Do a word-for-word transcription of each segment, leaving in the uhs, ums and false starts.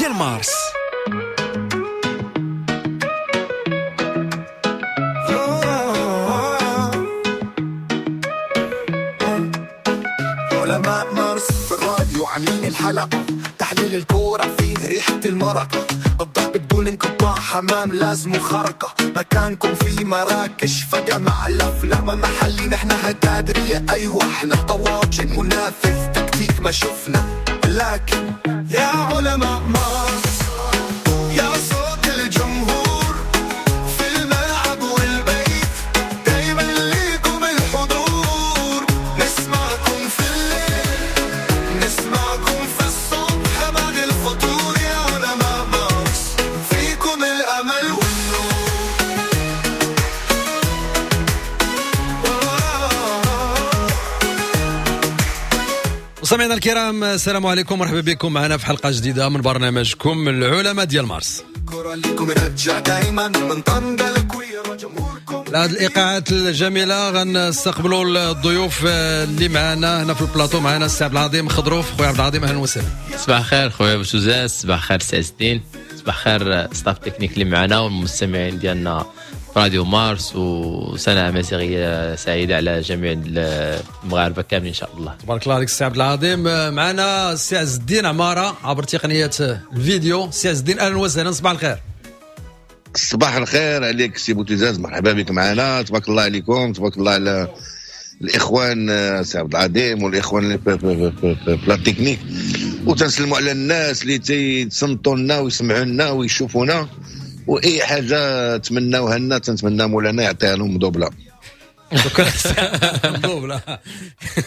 ديال مارس. علماء مارس في الراديو عاملين الحلقة، تحليل الكورة فيه ريحة المرقة، الضحك بدون انقطاع، حمام لازم خرقة، مكانكم في مراكش فجأة مع الأفلام محلي، نحن هتادرية أيوة احنا طواجن منافس تكتيك ما شفنا، لكن يا علماء مارس يا صوت الجمهور في الملعب والبيت، دايما ليكم الحضور، نسمعكم في الليل نسمعكم في الصبح بعد الفطور، يا علماء مارس فيكم الأمل والنور. مستمعينا الكرام، السلام عليكم، مرحبا بكم معنا في حلقة جديدة من برنامجكم العلماء ديال مارس. هذه الايقاعات الجميلة غنستقبلوا الضيوف اللي معنا هنا في البلاطو. معنا السي عبد العظيم خضروف. خويا عبد العظيم اهلا وسهلا. صباح الخير خويا بوتوزاز، صباح الخير سي عز الدين، صباح الخير staff technique اللي معنا والمستمعين ديالنا راديو مارس، وسنة أمازيغية سعيدة على جميع المغاربة كاملين إن شاء الله. تبارك الله عليك السي عبد العظيم. معنا السي عز الدين عمارة عبر تقنية الفيديو. السي عز الدين أهلا وسهلا، صباح الخير. صباح الخير عليك سي بوتيزاز، مرحبا بك معنا، تبارك الله عليكم، تبارك الله على الإخوان السي عبد العظيم والإخوان اللي في la technique، وتنسلموا على الناس اللي تيتصنتوا لنا ويسمعوا لنا ويشوفونا، واي حاجة تمناوها لنا تنتمنى مولانا يعطيها لهم مدوبله. شكرا مدوبله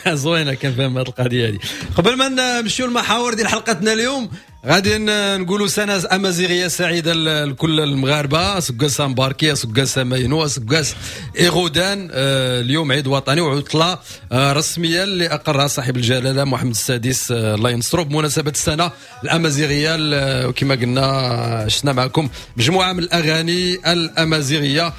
زوينة كنفهم هذه القضية هذه. قبل ما نمشيو المحاور ديال حلقتنا اليوم غادي نقولوا سنة امازيغيه سعيدة لكل المغاربة، سكاسا مباركيه، سكاسا ماينو، سكاس ايغودان. اليوم عيد وطني وعطله رسمية اللي اقرها صاحب الجلاله محمد السادس الله ينصرو بمناسبة السنة الامازيغية. وكما قلنا عشنا معكم مجموعة من الاغاني الامازيغية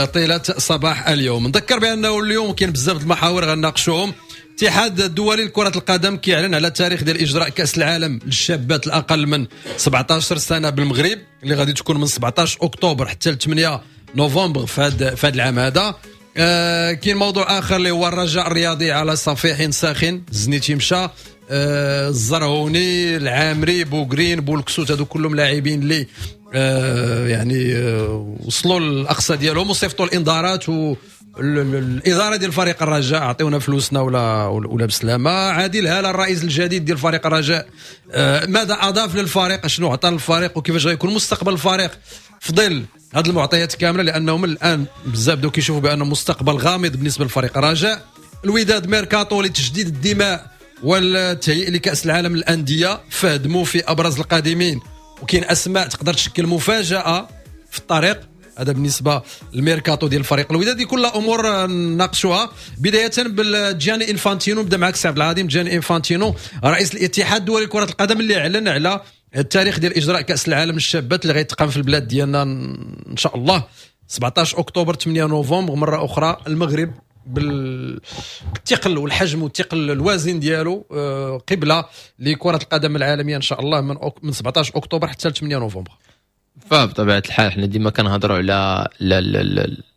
طيلة صباح اليوم. نذكر بانه اليوم كاين بزاف المحاور غنناقشوهم. الاتحاد الدولي لكرة القدم كيعلن على التاريخ ديال إجراء كأس العالم للشابات الأقل من سبعطاش سنة بالمغرب اللي غادي تكون من سبعطاش أكتوبر حتى ثمانية نوفمبر في هذا في هذا العام هذا. آه كاين موضوع آخر اللي هو الرجاء الرياضي على صفيح ساخن، الزنيتي مشى، آه الزرهوني، العامري، بوغرين، بولكسوت، هادو كلهم لاعبين اللي آه يعني آه وصلوا للأقصى ديالهم وصيفطوا الإنذارات و الادارة ديال فريق الرجاء اعطيونا فلوسنا ولا ولا بسلامه. عادل هالة الرئيس الجديد ديال فريق الرجاء آه ماذا اضاف للفريق، شنو عطى للفريق، وكيفاش غيكون مستقبل الفريق في ظل هذه المعطيات كاملة، لانهم الان بزاف بداو كيشوفوا بانه مستقبل غامض بالنسبة لفريق الرجاء. الوداد ميركاتو لتجديد الدماء والتهيئ لكاس العالم للاندية، فهد موفي ابرز القادمين، وكاين اسماء تقدر تشكل مفاجاة في الطريق. هذا بالنسبة للميركاتو ديال الفريق الودادي. كل امور نناقشوها بداية بالجاني انفانتينو. نبدا معك سي عبد العظيم. جاني انفانتينو رئيس الاتحاد الدولي لكرة القدم اللي اعلن على التاريخ ديال اجراء كاس العالم للشابات اللي غيتقام في البلاد ديالنا ان شاء الله سبعطاش اكتوبر ثمانية نوفمبر. مرة اخرى المغرب بالثقل والحجم والثقل الوازن ديالو قبله لكرة القدم العالمية ان شاء الله من من سبعطاش اكتوبر حتى ثمانية نوفمبر. فبطبيعه الحال حنا ديما كنهضروا على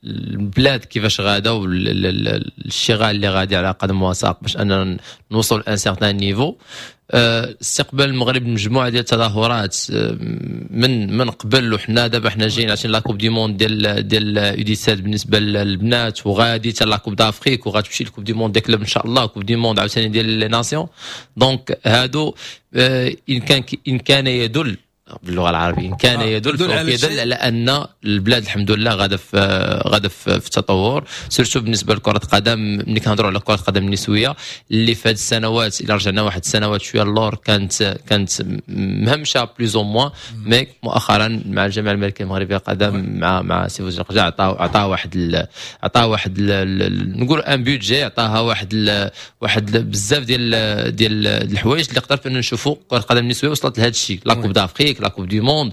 البلاد كيفاش غاده والاشتغال اللي غادي على قدم وساق باش اننا نوصل un certain niveau. استقبال المغرب مجموعة ديال التظاهرات من من قبل، وحنا دابا حنا جايين عشان la Coupe du monde ديال ديال U dix-sept بالنسبة للبنات، وغادي حتى la Coupe d'Afrique، وغتمشي ال Coupe du monde des clubs ان شاء الله، Coupe du monde عاوتاني ديال les nations. donc هادو ان كان ان كان يدل باللغة العربية ان كان يدل آه يدل, يدل على ان البلاد الحمد لله غاده في غاده في التطور، surtout بالنسبة لكرة القدم. ملي كنهضروا على كره القدم النسوية اللي في هذه السنوات الى رجعنا واحد السنوات شوية اللور كانت كانت مهمشه plus ou moins، mais مؤخرا مع الجامعة الملكية المغربية للقدم مع مع سي فوزي القجع عطاو عطا واحد عطا واحد نقول un budget، عطاها واحد ال واحد بزاف ديال ديال الحوايج اللي قدرت ان نشوفوا كره القدم النسوية وصلت لهذا الشيء، la Coupe d'Afrique، la Coupe du monde،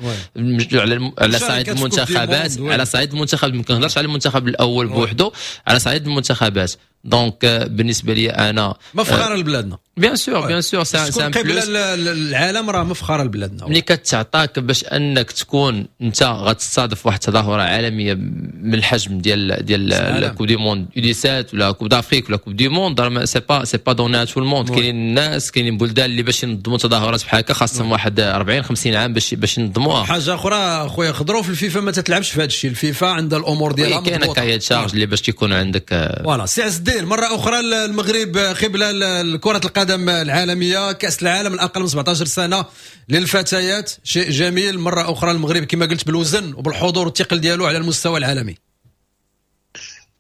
على على صعيد المنتخبات، على صعيد المنتخب ما كنهضرش على المنتخب الاول بوحده، على صعيد المنتخبات. donc بالنسبة لي انا مفخرة لبلادنا. bien sûr، bien sûr، c'est un plus. العالم راه مفخرة لبلادنا. ملي كتعطاك باش انك تكون انت غتستضيف واحد التظاهرة عالمية من الحجم ديال ديال coupe du monde U dix-sept ولا coupe d'Afrique ولا coupe du monde، راه c'est pas c'est pas donné à tout le monde. كاينين الناس، كاينين بلدان اللي باش ينظموا تظاهرات بحال هكا خاصهم واحد أربعين خمسين عام باش باش ينظموها. حاجة اخرى خويا خضرو، في الفيفا ما تتلعبش في هذا الشيء، الفيفا عندها الامور ديالها. كاين cahier des charges اللي باش تيكون عندك. voilà سي عز الدين، مرة اخرى المغرب قبله لكرة القدم العالميه، كاس العالم الاقل من سبعطاش سنة للفتيات، شيء جميل. مرة اخرى المغرب كما قلت بالوزن وبالحضور والثقل ديالو على المستوى العالمي.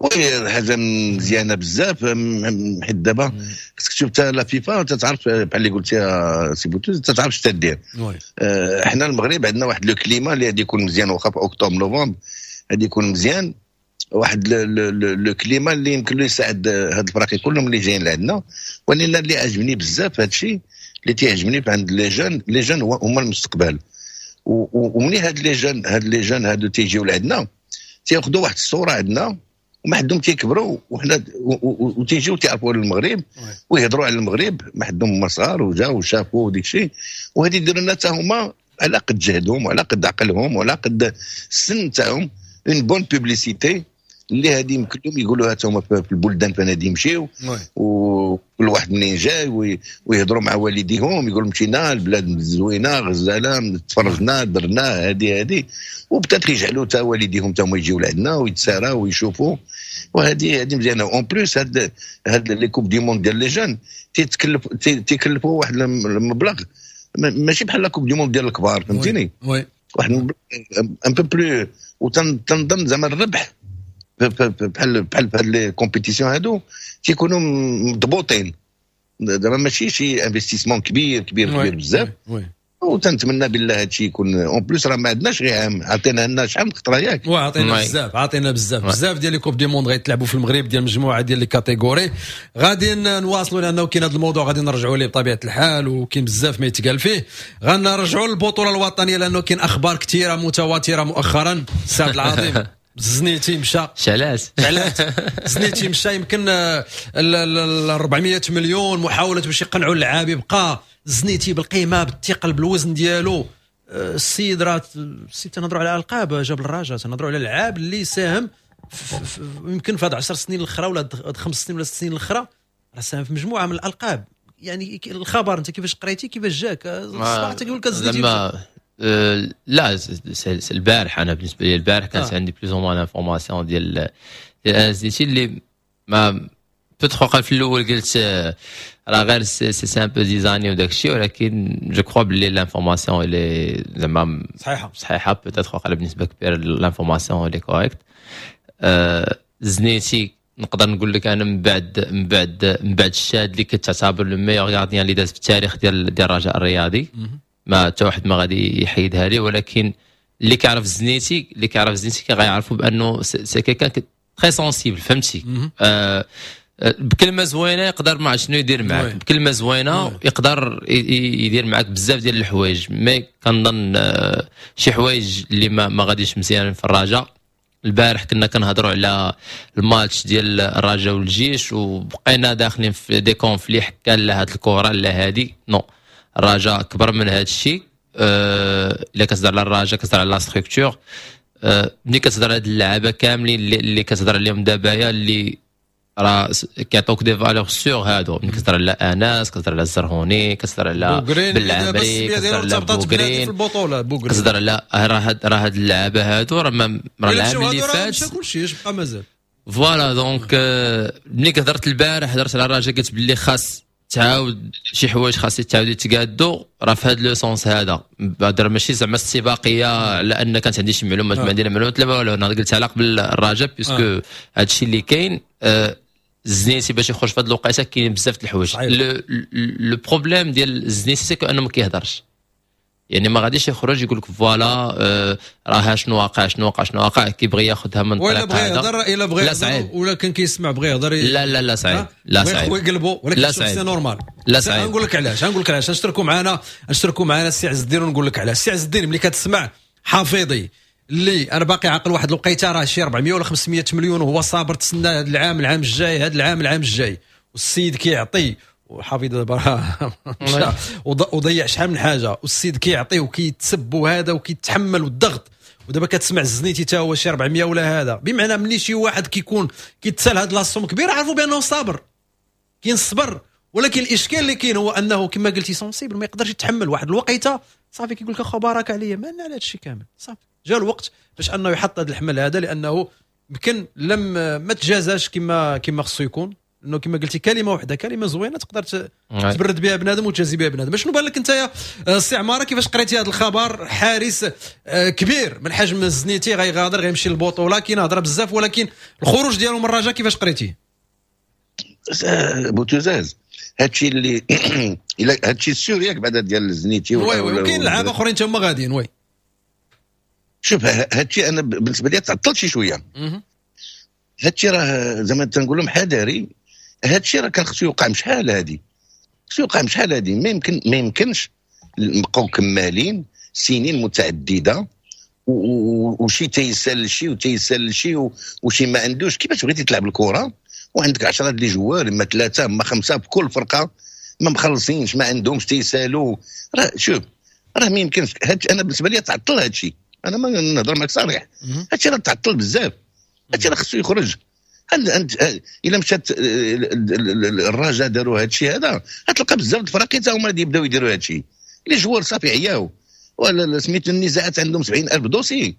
oui، حاجة مزيانه بزاف، حيت دابا خصك تشوف حتى la FIFA تتعرف، بحال اللي قلتي سي بوتوز، تتعرف اش تدير. آه، حنا المغرب عندنا واحد le climat اللي غادي يكون مزيان، واخا في octobre novembre غادي يكون مزيان، واحد le climat اللي يمكن له يساعد هاد الفراقي كلهم اللي جايين لعندنا. ولكن اللي عجبني بزاف، هذا الشيء اللي تيعجبني عند les jeunes، les jeunes هما المستقبل. ومني هاد les jeunes هاد les jeunes هادو تيجيو لعندنا تياخذوا واحد الصورة عندنا، وما حدهم تيكبروا وحنا وتيجيو تيعرفوا على المغرب ويهضروا على المغرب، ما حدهم هما صغار وجاو وشافوا وديك الشيء. وهذه يديروا لنا حتى هما على قد جهدهم وعلى قد عقلهم وعلى قد السن تاعهم une bonne publicité اللي هذه يمكن لهم يقولوها هما في البلدان فين غادي يمشيو، وكل واحد منين جاي، ويهضروا مع والديهم، يقولوا مشينا البلاد زوينة غزاله، تفرجنا، درنا هذه هذه، وبدات يجعلوا حتى والديهم حتى هما يجيو لعندنا ويتساراو ويشوفوا. وهذه هذه مزيانه. en plus هاد هاد les coupes du monde ديال les jeunes تيتكلف تيكلفوا واحد المبلغ ماشي بحال la coupe du monde ديال الكبار، فهمتيني؟ oui. واحد un peu plus، وتنظن زعما الربح بحال بحال في هاد les compétitions هادو تيكونوا مضبوطين، زعما ماشي شي investissement كبير كبير كبير بزاف. وتنتمنى بالله هادشي يكون. en plus راه ما عندناش غير عام، عطينا لنا شحال من خطره، ياك؟ وعطينا بزاف، عطينا بزاف بزاف ديال les coupes du monde غيتلعبوا في المغرب ديال مجموعة ديال les catégories. غادي نواصلوا لانه كاين هذا الموضوع غادي نرجعوا ليه بطبيعة الحال، وكاين بزاف ما يتقال فيه. غنرجعوا للبطولة الوطنية لانه كاين اخبار كثيرة متواترة مؤخرا. سعد العظيم، زنيتي مشى. شعلات. شعلات، زنيتي مشى، يمكن ال أربعمية مليون محاولة باش يقنعوا اللعاب يبقى. زنيتي بالقيمه، بالثقل، بالوزن ديالو، آه، السيد راه السيد تنهضروا على القاب جاب الرجاء، تنهضروا على لعاب اللي ساهم يمكن في هاد عشر سنين الاخرى ولا خمس سنين ولا ست سنين الاخرى، راه ساهم في مجموعة من الالقاب. يعني الخبر انت كيفاش قريتي؟ كيفاش جاك الصباح تقول لك زنيتي؟ لما أه لا، البارح انا بالنسبة لي البارح كانت آه. عندي plus ou moins l'information ديال ديال زنيتي اللي ما peut-être في الاول قلت راه غير c'est c'est un peu zizanie وداك الشيء، ولكن je crois بلي l'information اللي زعما صحيحه. صحيحه، peut-être واقع بنسبة كبيرة l'information اللي correcte. زنيتي نقدر نقول لك انا من بعد من بعد من بعد الشاد اللي كتعتبر le meilleur gardien اللي داز في التاريخ ديال ديال الرجاء الرياضي، ما حتى واحد ما غادي يحيدها لي. ولكن اللي كيعرف زنيتي اللي كيعرف زنيتي غيعرفوا بانه c'est quelqu'un très sensible، فهمتي؟ آه بكلمه زوينة يقدر ما شنو يدير معك، بكلمه زوينة يقدر يدير معك بزاف ديال الحوايج. mais كنظن آه، شي حوايج اللي ما, ما غاديش مزيان في الرجاء. البارح كنا كنهضروا على الماتش ديال الرجاء والجيش وبقينا داخلين في des conflits، حكا لا هاد الكره لا هادي. non، الرجاء كبر من هذا الشيء. أه الا كتهضر على الرجاء كتهضر على la structure. أه ملي كتهضر على هاد اللعابه كاملين اللي, اللي كتهضر عليهم دابا اللي راه كيعطوك des valeurs sûres، هادو ملي كتهضر على انس، كتهضر على الزرهوني، كتهضر على بالعمري، كتهضر على بوغرين في البطوله، كتهضر على راه هاد راه هاد اللعابه هادو راه راه العام اللي فات كلشي اش بقى مازال. voilà، donc ملي هضرت البارح هضرت على الرجاء، قلت باللي خاص تعاود شي حوايج خاص يتعاودوا يتقادوا، راه في هذا le sens هذا بعد، ماشي زعما السباقيه على ان كانت عندي شي معلومات، ما عندي معلومات لا والو. انا قلت على قبل الرجاء puisque هذا الشيء اللي كاين. آه، الزنيتي باش يخرج في هذه الوقيته كاين بزاف د الحوايج. le problème ديال الزنيتي c'est انه ما كيهضرش، يعني ما غاديش يخرج يقول لك voilà آه راه شنو واقع، شنو واقع، شنو واقع. كيبغي ياخذها من طريق بغى يهضر، الا بغى يهضر ولا كان كيسمع بغى يهضر. لا لا لا صعيب، لا صعيب. هو يقلبوا، ولكن لا صعيب. c'est normal. لا صعيب. نقول لك علاش، نقول لك علاش. نشتركوا معنا، نشتركوا معنا السي عز الدين ونقول لك علاش. السي عز الدين، ملي كتسمع حفيظي اللي انا باقي عاقل واحد الوقيته راه شي أربعمية ولا خمسمية مليون، وهو صابر تسنى هذا العام، العام الجاي، هذا العام، العام الجاي، والسيد كيعطي وحافظ دابا وضيع شحال من حاجة، والسيد كيعطي وكيتسب وهذا وكيتحمل والضغط. ودابا كتسمع الزنيتي تا هو شي أربعمية ولا هذا، بمعنى ملي شي واحد كيكون كيتسال هاد la somme كبيرة عرفوا بانه صابر، كاين الصبر. ولكن الاشكال اللي كاين هو انه كما قلتي sensible، ما يقدرش يتحمل واحد الوقيته، صافي كيقول لك اخو بارك عليا، مالنا على هذا الشيء كامل. صافي جا الوقت باش انه يحط هذا الحمل هذا، لانه يمكن لم ما تجازاش كما كما خصو يكون. انه كما قلتي كلمة واحدة، كلمة زوينة تقدر تبرد بها بنادم وتجازي بها بنادم. شنو بان لك انت يا سي عمارة، كيفاش قريتي هذا الخبر؟ حارس آه، كبير من حجم الزنيتي غيغادر، غيمشي للبطوله، كاين هضره بزاف، ولكن الخروج ديالو من الرجاء كيفاش قريتيه؟ بوتوزاز هادشي اللي هادشي sûr ياك بعدا ديال الزنيتي، oui oui، وكاين لعابه اخرين تما غاديين. oui شوف هادشي انا بالنسبة لي تعطل شي شوية. هادشي راه زعما تنقول لهم حذاري، هادشي راه كان خصو يوقع مشحال هادي، خصو يوقع مشحال هادي. ما يمكن ما يمكنش نبقاو كمالين سنين متعددة وشي تيسال شي وتيسال شي وشي ما عندوش. كيفاش بغيتي تلعب الكره وعندك عشرة les joueurs، اما ثلاثة اما خمسة في كل فرقه، ما مخلصينش، ما عندهمش، تيسالوا. راه شوف راه ما يمكنش. هاد انا بالنسبة لي تعطل هادشي، انا ما نهضر معك صريح، هادشي راه تعطل بزاف، هادشي راه خصو يخرج. انت الا مشات الرجاء داروا هادشي هذا، غتلقى بزاف الفراقي حتى هما يبداو يديروا هادشي. les joueurs صافي عياو، ولا سميتو النزاعات عندهم سبعين ألف dossier.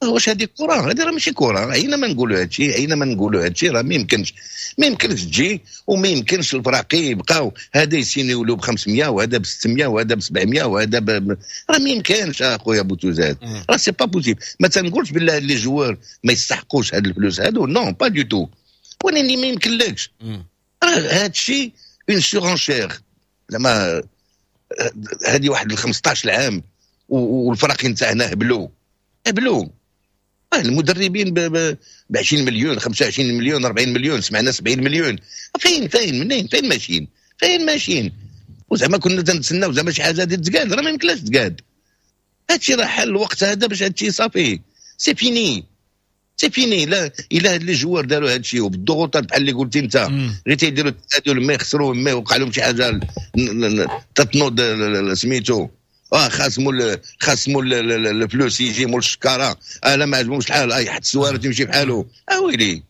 واش هذه كره؟ هذه راه ماشي كره. عينا ما نقولوا هادشي، عينا ما نقولوا هادشي، راه ما يمكنش، ما يمكنش تجي وما يمكنش الفراقي يبقاو هذا يسينيو له ب خمسمية وهذا ب ستمية وهذا ب سبعمية وهذا ب... راه ما يمكنش اخويا بوتوزاد، راه c'est pas possible. ما تنقولش بالله les joueurs ما يستحقوش هاد الفلوس هادو، non pas du tout، ولكن ما يمكنلكش. راه هادشي une surenchère، زعما هذه واحد خمسطاش عام والفرق نتاعنا هبلوا هبلوا المدربين ب عشرين مليون، خمسة وعشرين مليون، أربعين مليون، سمعنا سبعين مليون. فين فين منين فين ماشيين فين ماشيين؟ وزعما كنا تنتسناو زعما شي حاجة ديال تقاد، راه ما يمكنلاش تقاد. هادشي راه حل الوقت هذا باش هادشي صافي c'est fini c'est fini. لا الا هاد les joueurs داروا هادشي وبالضغوطات بحال اللي قلتي انت، غير تيديروا التعادل ما يخسروا ما يوقع لهم شي حاجة تتنوض سميتو اه خاص مول خاص مول الفلوس يجي مول الشكاره، اه لا ما عجبهمش الحال، اه يحط السوارة تمشي بحالو. اه ويلي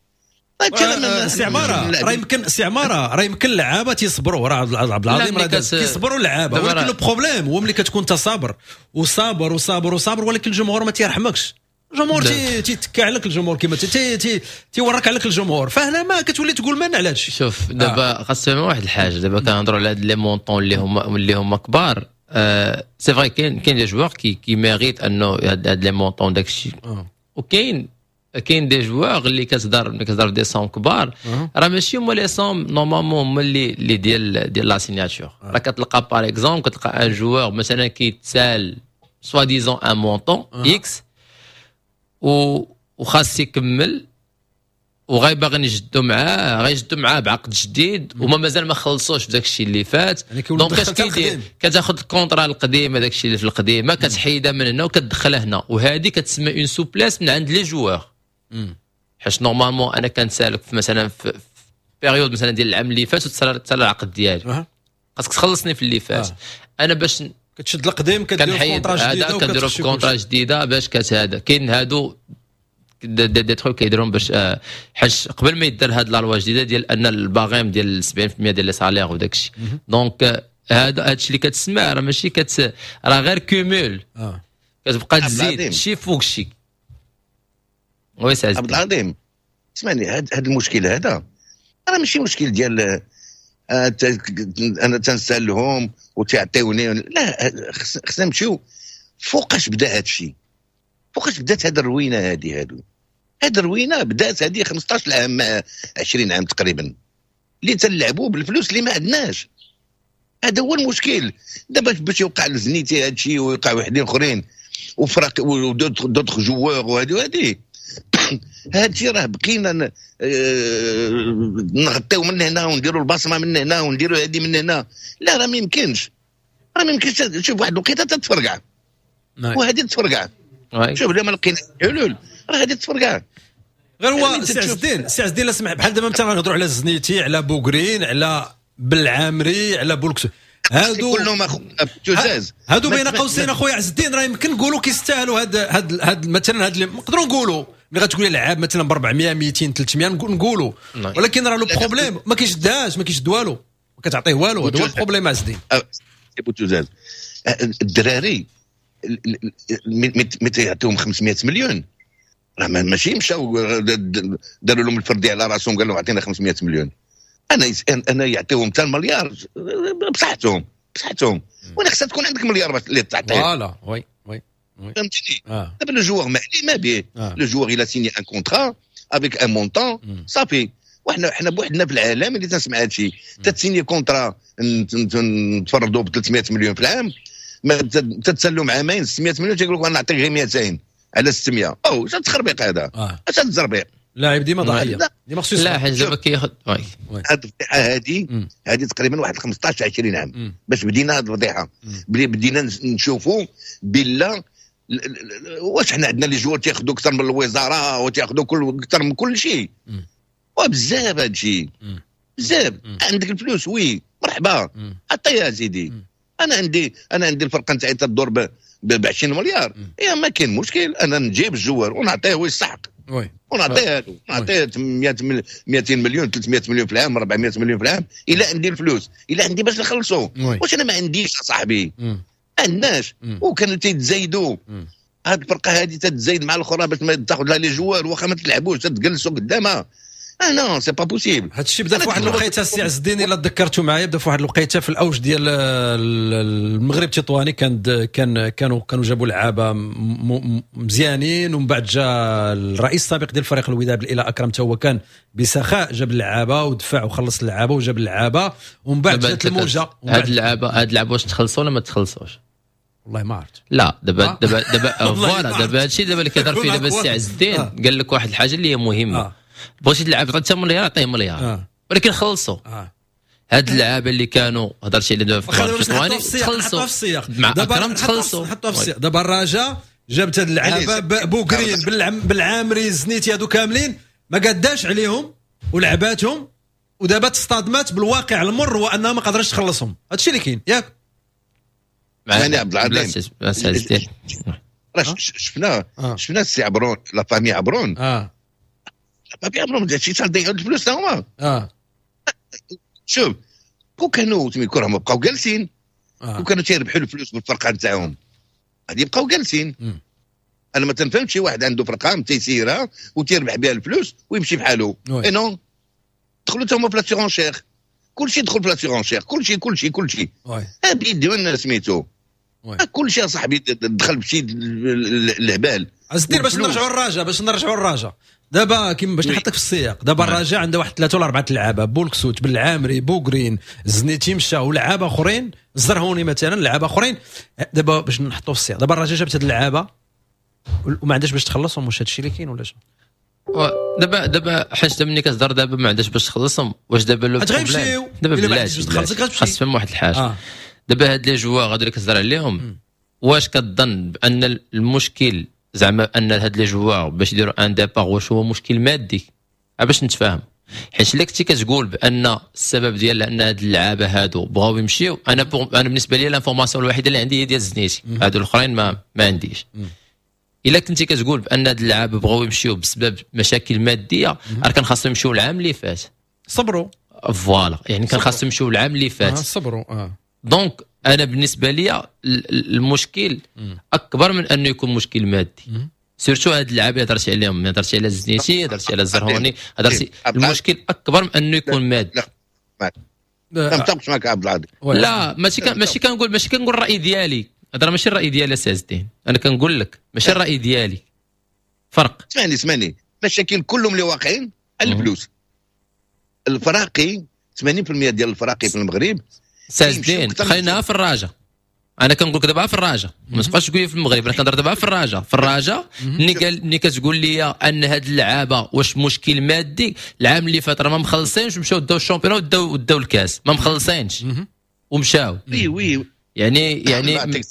سي عمارة، راه يمكن سي عمارة راه يمكن اللعابه تيصبروا، راه عبد العظيم راه كيصبروا اللعابه، ولكن le problème هو ملي كتكون انت صابر وصابر وصابر وصابر ولكن الجمهور ما تيرحمكش، الجمهور تيتكى عليك، الجمهور كيما تيورك عليك الجمهور، فهنا ما كتولي تقول من على هادشي. شوف دابا خاص واحد الحاجة، دابا كنهضروا على هاد les montants اللي هما اللي هما كبار، c'est vrai كاين كاين des joueurs qui qui méritent انه هاد les montants داكشي، وكاين كاين des joueurs اللي كتهضر ملي كتهضر des sommes كبار، راه ماشي هما les sommes normalement هما اللي اللي ديال ديال la signature. راه كتلقى par exemple كتلقى un joueur مثلا كيتسال soi-disant un montant X وخاص يكمل وغاي باغي نجدو معاه، غيجدو معاه بعقد جديد وما مازال ما خلصوش في داك الشيء اللي فات. يعني donc اش كيدير؟ كتاخذ ال contrat القديم، هذاك الشيء اللي في القديمة كتحيدها من هنا وكتدخلها هنا، وهذه كتسمى une souplesse من عند les joueurs، حيت normalement انا كنسالك في مثلا في période مثلا ديال العام اللي فات وتسال العقد ديالي، خاصك تخلصني في اللي فات. آه. انا باش كتشد القديم كدير contrat جديده، كنديرو في contrat جديدة باش كتهذا. كاين هادو des, des, des trucs كيديرهم باش آه، حيت قبل ما يدير هاد la loi الجديدة ديال ان ال barème ديال سبعين في المية ديال les salaires وداك الشيء. donc آه، هذا هادشي اللي كتسمع راه ماشي كت راه غير cumul، آه. كتبقى تزيد شي فوق شي. oui سي عبد العظيم، اسمعني، هذا المشكل هذا راه ماشي مشكل ديال آه، انا تنسالهم وتعطيوني، لا، خصنا نمشيو فوقاش بدا هذا الشيء، فوقاش بدات هذه الروينه هذه. هادو هذه الروينه بدات هذه خمسطاش عام عشرين عام تقريبا، اللي تنلعبوا بالفلوس اللي ما عندناش. هذا هو المشكل دابا باش يوقع لزنيتي هذا الشيء ويوقع وحدين اخرين وفرق و d'autres joueurs وهذه وهذه. هذا الشيء راه بقينا آه، نغطيو من هنا ونديروا البصمة من هنا ونديروا هذه من هنا. لا راه ما يمكنش، راه ما يمكنش. شوف واحد الوقيته تتفرقع، نعم. وهذه تفرقع. شوف الا ما لقينا حلول راه غادي تفرقع. غير هو سي عز الدين، سي عز الدين لا سمح، بحال دابا مثلا نهضروا على الزنيتي، على بوغرين، على بالعامري، على بولكسو، هادو كلهم اخو هادو بين قوسين اخويا عز الدين راه يمكن نقولوا كيستاهلوا هاد هاد هاد مثلا هاد نقدروا نقولوا ملي غتقول لعاب مثلا ب أربعمية ميتين ثلاثمية نقولوا، ولكن راه le problème ما كيشدهاش، ما كيشد والو، ما كتعطيه والو. هذا هو ال problème عز الدين. بوتوزاز الدراري متى يعطيهم خمسمية مليون راه ماشي مشاو داروا لهم الفردي على راسهم قال لهم اعطينا خمسمية مليون. انا انا يعطيهم حتى المليار بصحتهم بصحتهم، وانا خصها تكون عندك مليار باش اللي تعطيه. voilà oui oui فهمتني. دابا le joueur ما عليه ما به، le joueur il a signé un contrat avec un montant صافي. وحنا حنا بوحدنا في العالم اللي تنسمع هذا الشيء، تتسيني contrat نتفرضوا ب ثلاثمية مليون في العام، ما تتسلم عامين ستمية مليون تيقول لك انا نعطيك غير ميتين على ستمية. او اش التخربيق هذا؟ اش التزربيق؟ لاعب ديما ضحية، ديما خصو لا حيت دابا كياخذ هاد الفضيحة هادي هادي تقريبا واحد خمسطاش عشرين عام باش بدينا هاد الفضيحة، بدينا نشوفوا بلا واش حنا عندنا les joueurs تياخذوا اكثر من الوزارة وتياخذوا كل اكثر من كل شيء، وبزاف هاد الشيء بزاف. عندك الفلوس oui مرحبا عطيها سيدي. انا عندي انا عندي الفرقة نتاعي تدور ب عشرين مليار، يا ما كاين مشكل، انا نجيب ال joueur ونعطيه ويستحق oui ونعطيه نعطيه ميتين مليون ثلاثمية مليون في العام أربعمية مليون في العام الا عندي الفلوس، الا عندي باش نخلصو. واش انا ما عنديش صاحبي؟ ما عندناش. وكانوا تيتزايدوا هاد الفرقة هادي تتزايد مع الاخرى باش ما تاخذ لها les joueurs واخا ما تلعبوش تتجلسوا قدامها. اه non c'est pas possible. هذا الشيء بدا في واحد الوقيته السي عز الدين الا تذكرتوا معايا، بدا في واحد الوقيته في الاوج ديال المغرب التطواني، كان كان كانوا كانوا جابوا لعابه مزيانين، ومن بعد جا الرئيس السابق ديال فريق الوداد الى اكرم تا هو كان بسخاء جاب اللعابه ودفع وخلص اللعابه وجاب اللعابه، ومن بعد جات الموجه. هاد اللعابه هاد اللعابه واش تخلصوا ولا ما تخلصوش؟ والله ما عرفت. لا دابا دابا دابا voilà دابا هادشي دابا اللي كيهضر فيه دابا السي عز الدين قال لك واحد الحاجة اللي هي مهمة. بغيتي تلعب حتى مليار عطية مليار آه. ولكن خلصوا آه. هاد اللعابه اللي كانوا هضرتي عليهم دابا في التطواني تخلصوا مع اكرم، تخلصوا حطوها في السياق. دابا الرجاء جابت هاد اللعابه بوكرين بالعامري الزنيتي هادو كاملين ما قاداش عليهم ولعباتهم، ودابا تصطدمات بالواقع المر وانها ما قدرتش تخلصهم. هادشي اللي كاين ياك يعني عبد العظيم. راه شفنا شفنا السي عبرون la famille عبرون اه ما بيعملوا هادشي تضيعوا الفلوس هما. اه شوف كون كانوا تيكون راهم بقاو جالسين، آه. كون كانوا تيربحوا الفلوس بالفرقة نتاعهم غادي يبقاو جالسين. انا ما تنفهمش شي واحد عنده فرقه تيسيرها وتيربح بها الفلوس ويمشي بحالو. et non دخلوا هما في la surenchère، كلشي دخل في la surenchère، كلشي كلشي كلشي بيديو سميتو كلشي يا صاحبي دخل بشي الهبال. عز الدين باش نرجعوا للرجاء، باش نرجعوا للرجاء دابا كيما باش نحطك في السياق. دابا الرجاء عنده واحد ثلاثة ولا اربعة لعابه، بولكسوت بالعامري بوغرين الزنيتي مشى ولعابه اخرين، الزرهوني مثلا لعابه اخرين. دابا باش نحطوا في السياق، دابا الرجاء جابت هاد اللعابه وما عندهاش باش تخلصهم. واش هادشي اللي كاين ولا شنو؟ دابا دابا حيت ملي كتهضر دابا ما عندهاش باش تخلصهم، واش دابا le problème دابا بلاش خاص تفهم واحد الحاجة. آه. دابا هاد les joueurs هادو اللي كتهضر عليهم، واش كتظن بان المشكل زعما ان هاد les joueurs باش يديروا un départ واش هو مشكل مادي؟ باش نتفاهم، حيت الا كنتي كتقول بان السبب ديال ان هاد اللعابه هادو بغاو يمشيو، انا انا بالنسبة لي l'information الوحيدة اللي عندي هي ديال الزنيتي، هادو الاخرين ما ما عنديش. الا كنتي كتقول بان هاد اللعابه بغاو يمشيو بسبب مشاكل مادية، راه كان خاصهم يمشيو العام اللي فات. صبروا voilà، يعني كان خاصهم يمشيو العام اللي فات. آه صبروا اه donc انا بالنسبة لي المشكل اكبر من انه يكون مشكل مادي. surtout هاد اللعابه اللي هضرتي عليهم، هضرتي على الزنيتي، هضرتي على الزرهوني، هضرتي المشكل اكبر من انه يكون مادي. لا ما متفقش معك عبد العظيم. لا ماشي ماشي كنقول ماشي كنقول الراي ديالي، هذا ماشي الراي ديالي سي عز الدين، انا كنقول لك ماشي الراي ديالي. فرق. اسمعني اسمعني، المشاكل كلهم اللي واقعين على الفلوس. الفراقي ثمانين بالمية ديال الفراقي في المغرب سي عز الدين، خلينا في الرجاء. انا كنقول لك دابا في الرجاء، ما تبقاش تقول لي في المغرب، انا كنهضر دابا في الرجاء. في الرجاء ملي قال ملي كتقول لي ان هاد اللعابه واش مشكل مادي، العام اللي فات راه ما مخلصينش ومشاو داو ال championnat وداو داو الكاس، ما مخلصينش ومشاو. oui oui يعني يعني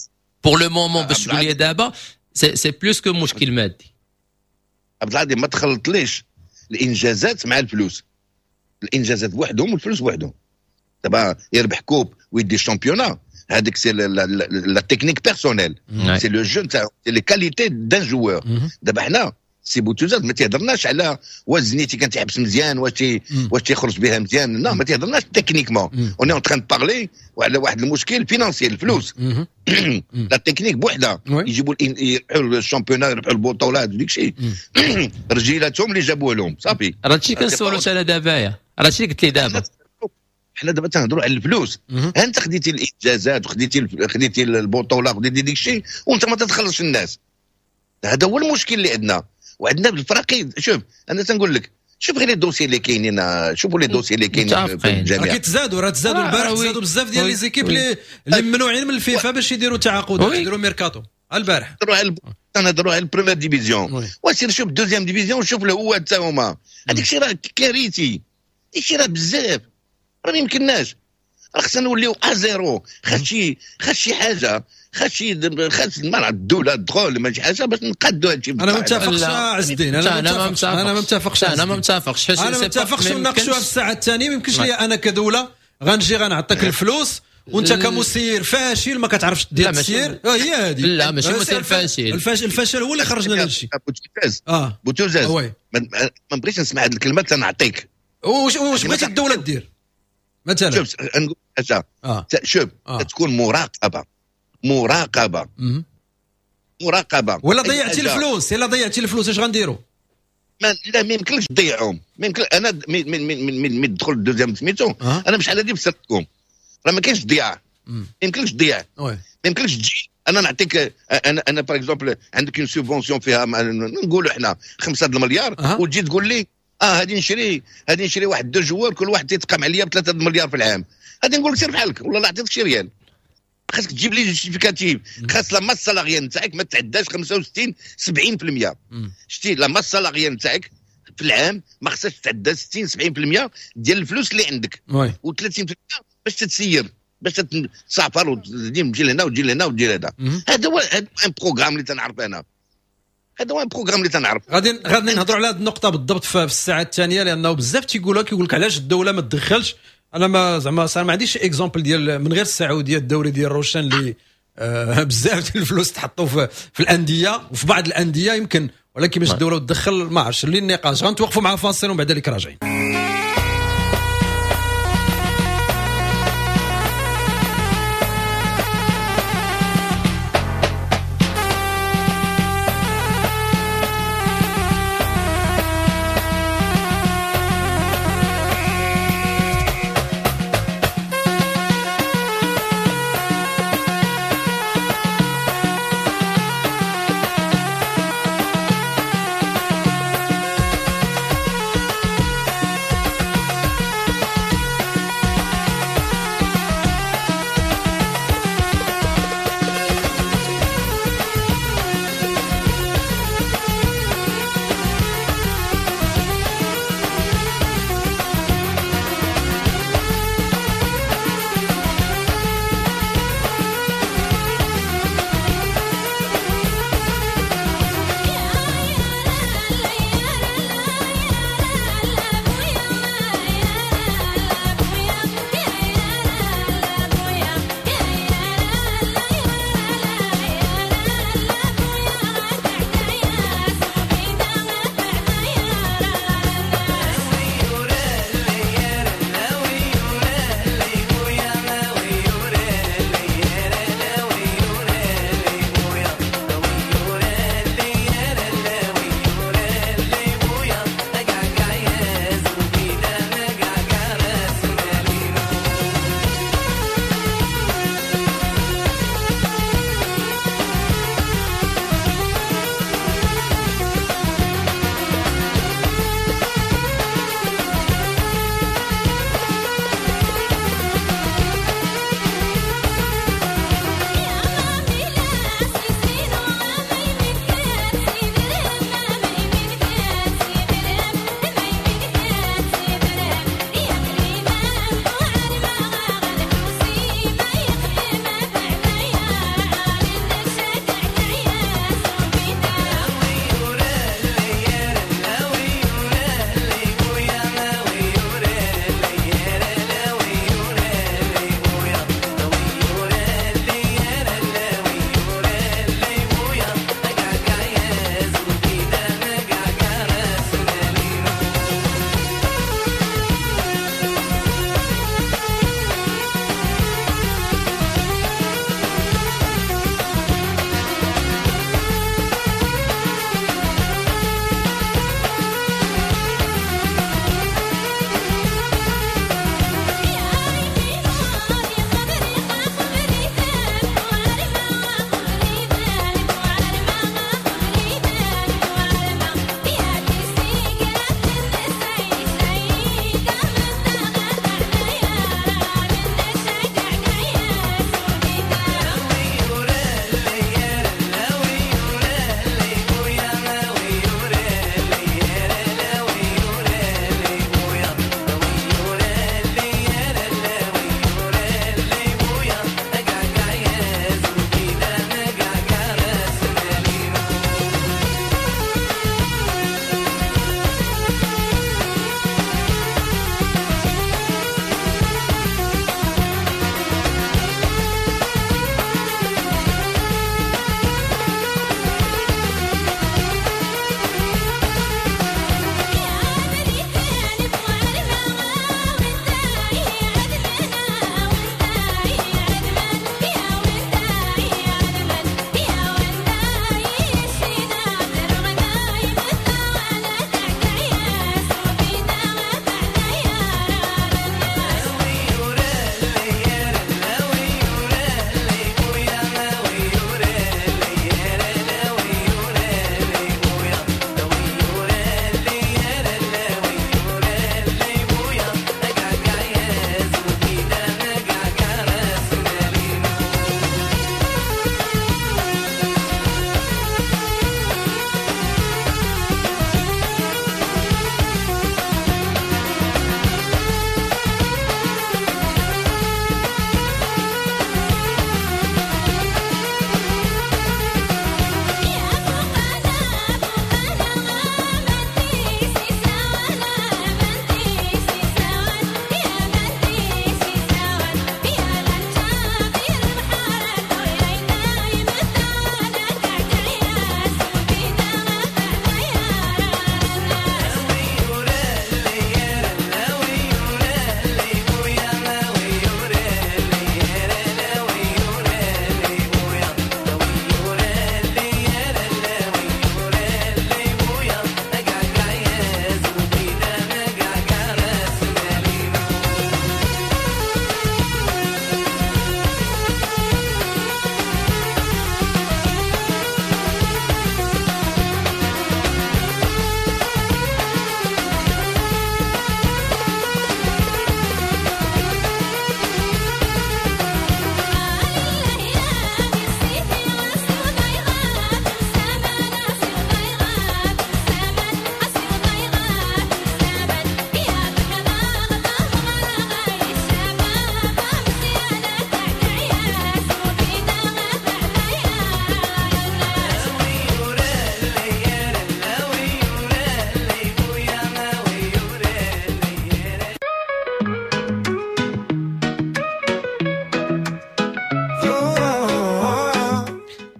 pour le moment باش تقول لي دابا c'est c'est plus que مشكل مادي. عبد العظيم ما تخلطليش الانجازات مع الفلوس، الانجازات بوحدهم والفلوس بوحدهم. دابا يربح coupe ويدي ال championnat، هذيك c'est la technique personnelle، c'est le jeu نتاعو، c'est les qualités d'un joueur. دابا حنا سي بوتوزاز ما تيهضرناش على واش زنيتي كان تيحبس مزيان، واش تي واش تيخرج بها مزيان، لا ما تيهضرناش techniquement. on est en train de parler وعلى واحد المشكل financier، الفلوس. la technique بوحدها، يجيبوا يربحوا ال championnat، يربحوا البطولات وديك الشيء، رجيلاتهم اللي جابوه لهم صافي. راه هادشي كنسولو انا دابا، راه هادشي قلت لي دابا. حنا دابا تنهضروا على الفلوس. انت خديتي الانجازات وخديتي خديتي البطولة وخديتي ديك الشيء وانت ما تتخلصش الناس. هذا هو المشكل اللي عندنا، وعندنا بالفراقي. شوف انا تنقول لك، شوف غير les dossiers اللي كاينين، شوفوا les dossiers اللي كاينين في الجامعة. راه كيتزادوا، راه تزادوا البارح، تزادوا بزاف ديال les équipes اللي اللي ممنوعين من الفيفا باش يديروا تعاقدات، يديروا ميركاتو البارح. تنهضروا على ال première division، وسير شوف ال deuxième division وشوف الهوات تا هما. هذاك الشيء راه كارثي، هذاك الشيء راه بزاف، راه ما يمكنناش. راه خصنا نوليو à zéro. خاص شي خاص شي حاجة، خاص شي خاص ما الدولة تدخل ما شي حاجة باش نقادوا هادشي. انا ما متفقش عز الدين، انا ما متفقش، انا ما متفقش، انا ما متفقش، انا ما متفقش. ونناقشوها في الساعة الثانية. ما يمكنش لي انا كدولة غنجي غنعطيك الفلوس وانت كمسير فاشل ما كتعرفش دير التسيير. هي هذه. لا ماشي مسير فاشل، الفاشل الفشل هو اللي خرجنا لهذا الشيء. بوتوزاز اه بوتوزاز ما نبغيش نسمع هذه الكلمة تنعطيك. واش واش بغيتي الدولة دير مثلا؟ شوف نقول حاجة، آه. شوف آه. تكون مراقبة، مراقبة مم. مراقبة. ولا ضيعتي الفلوس، الا ضيعتي الفلوس اش غنديروا؟ ما لا ما يمكنلكش تضيعهم، ما يمكن. انا من من من من تدخل ال deuxième سميتو آه. انا بشحال هادي فسرتكم، راه ما كاينش ضياع، ما يمكنلكش تضيع، ما يمكنلكش تجي انا نعطيك انا انا par exemple عندك une subvention فيها نقولوا حنا خمسة المليار أه. وتجي تقول لي اه هادي نشري هادي نشري واحد deux joueurs كل واحد تيتقام عليا بثلاثة المليار في العام، غادي نقول لك سير بحالك والله لا عطيتك شي ريال. خاصك تجيب les justificatifs، خاص la masse salariale نتاعك ما تعداش خمسة وستين سبعين بالمية. شتي la masse salariale نتاعك في العام ما خصهاش تعدى ستين سبعين بالمية ديال الفلوس اللي عندك، وثلاثين بالمية باش تتسير، باش تسافر وتجي لهنا وتجي لهنا وتجي لهنا. هذا هو un programme اللي تنعرف انا، هذا هو un programme اللي تنعرف. غادي غادي نهضروا على هذه النقطة بالضبط في الساعة الثانية، لانه بزاف تيقولوا كيقول لك علاش الدولة ما تدخلش. انا ما زعما ما عنديش exemple ديال من غير السعودية، الدوري ديال روشان اللي آه بزاف ديال الفلوس تحطوا في, في الاندية وفي بعض الاندية يمكن، ولكن باش الدولة تدخل ما عرفتش. اللي النقاش غنتوقفوا مع فاصل ومن بعد ذلك راجعين.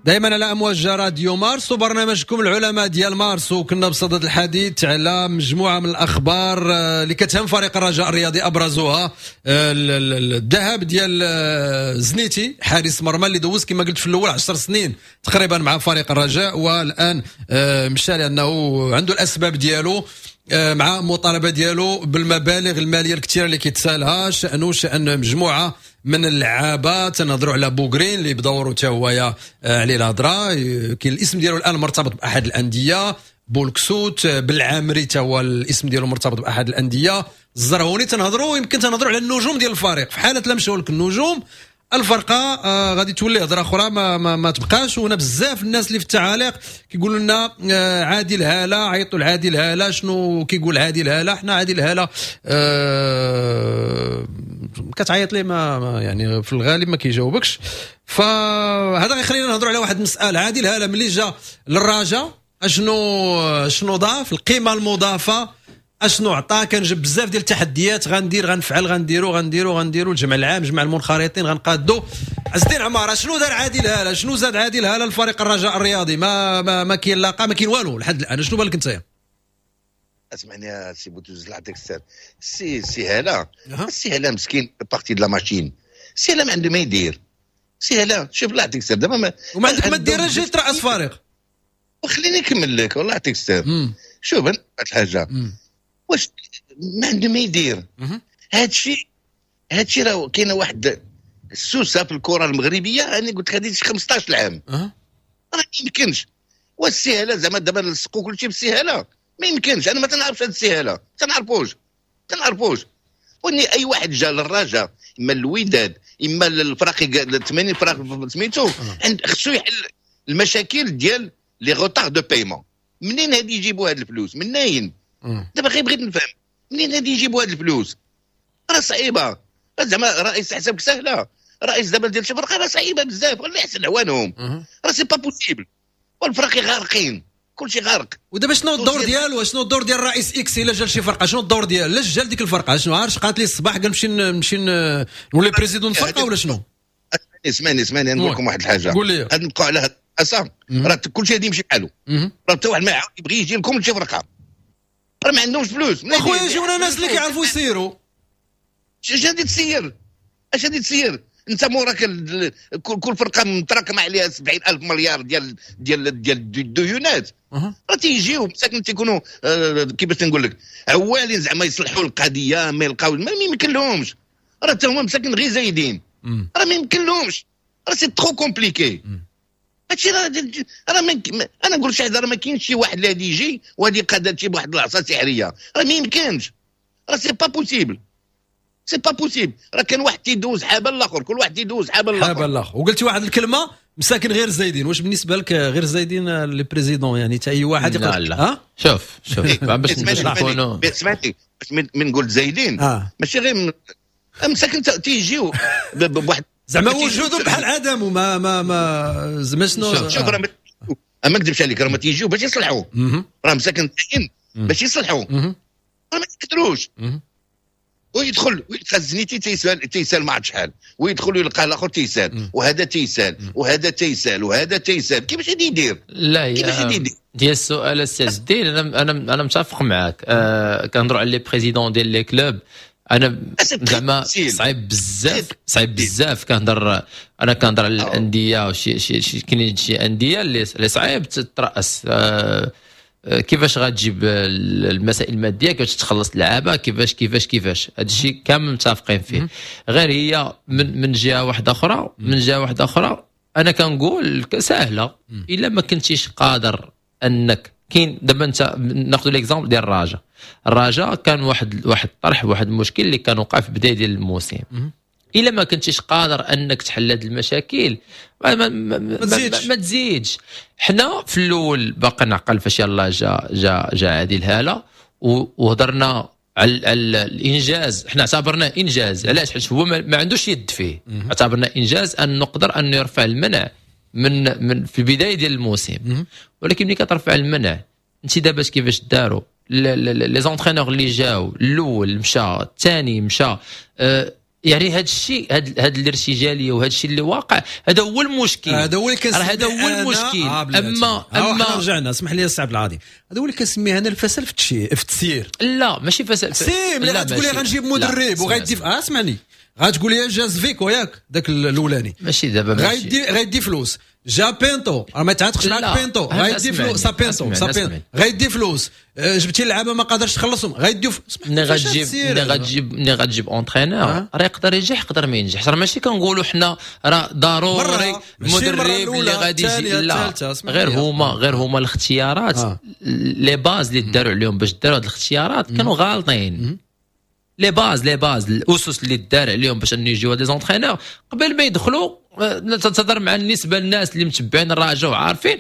دائما على امواج راديو مارس وبرنامجكم العلماء ديال مارس. وكنا بصدد الحديث على مجموعة من الاخبار اللي كتهم فريق الرجاء الرياضي، ابرزها الذهاب ديال زنيتي حارس مرمى اللي دوز كما قلت في الاول عشر سنين تقريبا مع فريق الرجاء، والان مشى لانه عنده الاسباب ديالو مع مطالبه ديالو بالمبالغ المالية الكثيرة اللي كيتسالها، شانه شان مجموعة من اللعابه. تنهضروا على بوغرين اللي بدوره حتى هو عليه الهضرة، كاين الاسم ديالو الان مرتبط باحد الاندية، بولكسوت، بالعامري حتى هو الاسم ديالو مرتبط باحد الاندية، الزرهوني. تنهضروا يمكن تنهضروا على النجوم ديال الفريق، في حاله لا مشاو لك النجوم الفرقة آه غادي تولي هضره اخرى ما, ما, ما تبقاش. وهنا بزاف الناس اللي في التعاليق كيقولوا لنا آه عادل هاله، عيطوا لعادل هاله، شنو كيقول عادل هاله؟ حنا عادل هاله آه كتعيط ليه ما, ما يعني في الغالب ما كيجاوبكش. فهذا غيخلينا نهضروا على واحد المسالة. عادل هاله ملي جا للرجاء اشنو شنو ضاف؟ القيمة المضافة اشنو عطا؟ كنجيب بزاف ديال التحديات، غندير غنفعل غنديرو غنديرو غنديرو الجمع العام، جمع المنخرطين، غنقادو. عز الدين عمارة شنو دار عادل هاله؟ شنو زاد عادل هاله لفريق الرجاء الرياضي؟ ما ما, ما كاين لاقه، ما كاين والو لحد الان. شنو بالك انت؟ اسمعني يا سي بوتوز، نعطيك السر. سي سي هاله، سي هاله مسكين partie de la machine. سي هاله ما عنده ما يدير. سي هاله شوف الله يعطيك السر دابا ما وما عندك ما دير، جاي ترأس فريق. وخليني نكمل لك والله يعطيك السر. شوف واحد الحاجة، واش ما عنده ما يدير؟ هذا الشيء هذا الشيء راه كاينه واحد السوسه في الكره المغربية. انا قلت لك هذه خمسطاش عام راه ما يمكنش. والسهاله زعما دابا نلصقوا كل شيء بالسهاله، ما يمكنش. انا ما تنعرفش هذه السهاله، تنعرفوش تنعرفوش. واني اي واحد جا للرجاء اما الوداد اما الفراقي ثمانين فرق سميتو خصو يحل المشاكل ديال les retards de paiement. منين هادي يجيبوا هاد الفلوس؟ منين؟ دابا غير بغيت نفهم منين هادي يجيبوا هاد الفلوس؟ راه صعيبة زعما. رئيس حسابك سهلة، رئيس دابا ديال شي فرقه راه صعيبة بزاف، والله يحسن عوانهم، راه c'est pas possible. والفراقي غارقين، كلشي غارق. ودابا شنو الدور ديالو؟ شنو الدور ديال الرئيس X الا جا لشي فرقه؟ شنو الدور ديالو؟ علاش جا لديك الفرقة؟ شنو عارش قالت لي الصباح قال نمشي نمشي نولي président الفرقة ولا شنو؟ اسمعني اسمعني نقول لكم واحد الحاجة. قول لي. غادي نبقاو على هاد الاساس، راه كلشي غادي يمشي بحالو، راه حتى واحد ما يعاود يبغي يجي لكم لشي فرقه، راه ما عندهمش فلوس. اخويا يجيونا ناس اللي كيعرفوا يسيروا. اش غادي تسير؟ اش غادي تسير؟ انت موراك كل فرقه متراكمه عليها سبعين ألف مليار ديال ديال ديال الديونات. راه تيجيو مساكن تيكونوا آه كيفاش نقول لك عوالين زعما يصلحوا القضية، ما يلقاو ما يمكن لهمش. راه حتى هما مساكن غير زايدين، راه ما يمكن لهمش، راه c'est trop compliqué هادشي. راه راه انا نقول شي حاجة، راه ما كاينش شي واحد اللي غادي يجي وغادي يقاد هادشي بواحد العصا سحريه، راه ما يمكنش، راه c'est pas possible، c'est pas possible. راه كان واحد تيدوز حابة الاخر، كل واحد تيدوز حابة الاخر حابة الاخر. وقلتي واحد الكلمة مساكن غير زايدين، واش بالنسبة لك غير زايدين les présidents؟ يعني حتى اي واحد يقدر؟ لا لا. شوف شوف باش نكونوا سمعتي من نقول زايدين آه. ماشي غير مساكن تيجيو بواحد زعما وجودهم بحال عدم وما ما ما زعما شنو. شوف راه ما نكذبش عليك، راه ما تيجيو باش يصلحوا، راه مساكن تاين باش يصلحوا، راه ما يقدروش. ويدخل ويلقى الزنيتي تيسال تيسال ما عرفت شحال، ويدخل ويلقى الاخر تيسال، وهذا تيسال وهذا تيسال وهذا تيسال. كيفاش غادي يدير؟ لا كيفاش غادي يدير؟ ديال السؤال السي عز الدين، انا انا انا متفق معاك. آه كنهضروا على les présidents ديال les clubs، انا زعما صعيب بزاف، صعيب بزاف. كنهضر انا كنهضر على الاندية وشي شي شي كاينين شي اندية اللي صعيب تترأس. آه كيفاش غتجيب المسائل المادية، كيفاش تخلص اللعابه، كيفاش كيفاش كيفاش، هذا الشيء كامل متفقين فيه. غير هي من من جهة واحدة اخرى، من جهة واحدة اخرى انا كنقول سهلة، الا ما كنتيش قادر انك كاين دابا انت ناخذ l'exemple ديال الرجاء. الرجاء كان واحد واحد الطرح، واحد المشكل اللي كان وقع في بداية ديال الموسم. الا ما كنتيش قادر انك تحل هذه المشاكل ما, ما, ما, ما, تزيدش. ما تزيدش. حنا في الاول باقي نعقل فاش يلاه جا جا جا عادل هاله وهضرنا على الانجاز، حنا اعتبرناه انجاز. علاش؟ حيت هو ما عندوش يد فيه، اعتبرناه انجاز ان نقدر ان يرفع المنع من من في البداية ديال الموسم. ولكن ملي كترفع المنع انت دابا كيفاش داروا les entraîneurs اللي جاو، الاول مشى، الثاني مشى، أه يعني هذا الشيء هاد هاد الارتجاليه وهذا الشيء اللي واقع، هذا هو المشكل. هذا هو اللي كنسميه هذا هو المشكل. آه اما اما رجعنا، اسمح لي السي عبد العظيم، هذا هو اللي كنسميه انا الفشل في في التسيير. لا ماشي فشل. si ملي غتقول لي غنجيب مدرب وغيدي، آه اسمعني، غتقول لي جا زفيكو ياك ذاك الاولاني ماشي دابا غيدي غيدي فلوس، جا بينتو راه ما تعاتقش معاك بينتو غيدي فلوس، سابينتو سابينتو غيدي فلوس، جبتي اللعابه ما قادرش تخلصهم غيديو. ملي غتجيب ملي غتجيب ملي غتجيب entraîneur راه يقدر ينجح يقدر ما ينجحش، راه ماشي كنقولوا حنا راه ضروري المدرب اللي غادي يجي، لا غير هما غير هما الاختيارات les bases اللي داروا عليهم باش داروا هاد الاختيارات كانوا غالطين. les bases les bases الاسس اللي دار عليهم باش انه يجيو des entraîneurs قبل ما يدخلوا، تهضر مع النسبة للناس اللي متبعين الرجاء وعارفين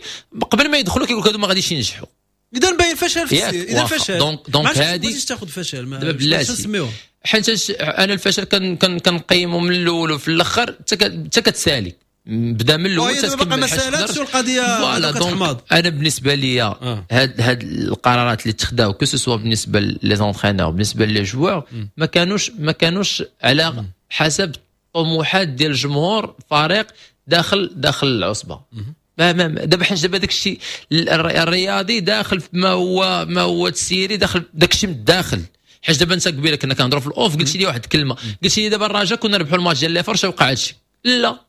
قبل ما يدخلوا كيقول لك هادو ما غاديش ينجحوا. اذا باين فشل في اذا فشل donc donc هادي تاخذ فشل دابا بلاتي، حيت انا الفشل كان كنقيمو من الاول وفي الاخر حتى كتسالي، بدا من الاول حتى تكمل. ما سالاتش القضية. voilà donc انا بالنسبة لي هاد هاد القرارات اللي تخداو que ce soit بالنسبة les entraîneurs بالنسبة les joueurs ما كانوش ما كانوش على حسب الطموحات ديال الجمهور فريق داخل داخل العصبة. ما ما دابا حيت دابا داك الشيء الرياضي داخل ما هو ما هو تسيري داخل داك الشيء من الداخل. حيت دابا انت قبيلة كنا كنهضروا في ال off قلت لي واحد الكلمة، قلت لي دابا الرجاء كنا نربحوا الماتش ديال les FAR وقع هادشي، لا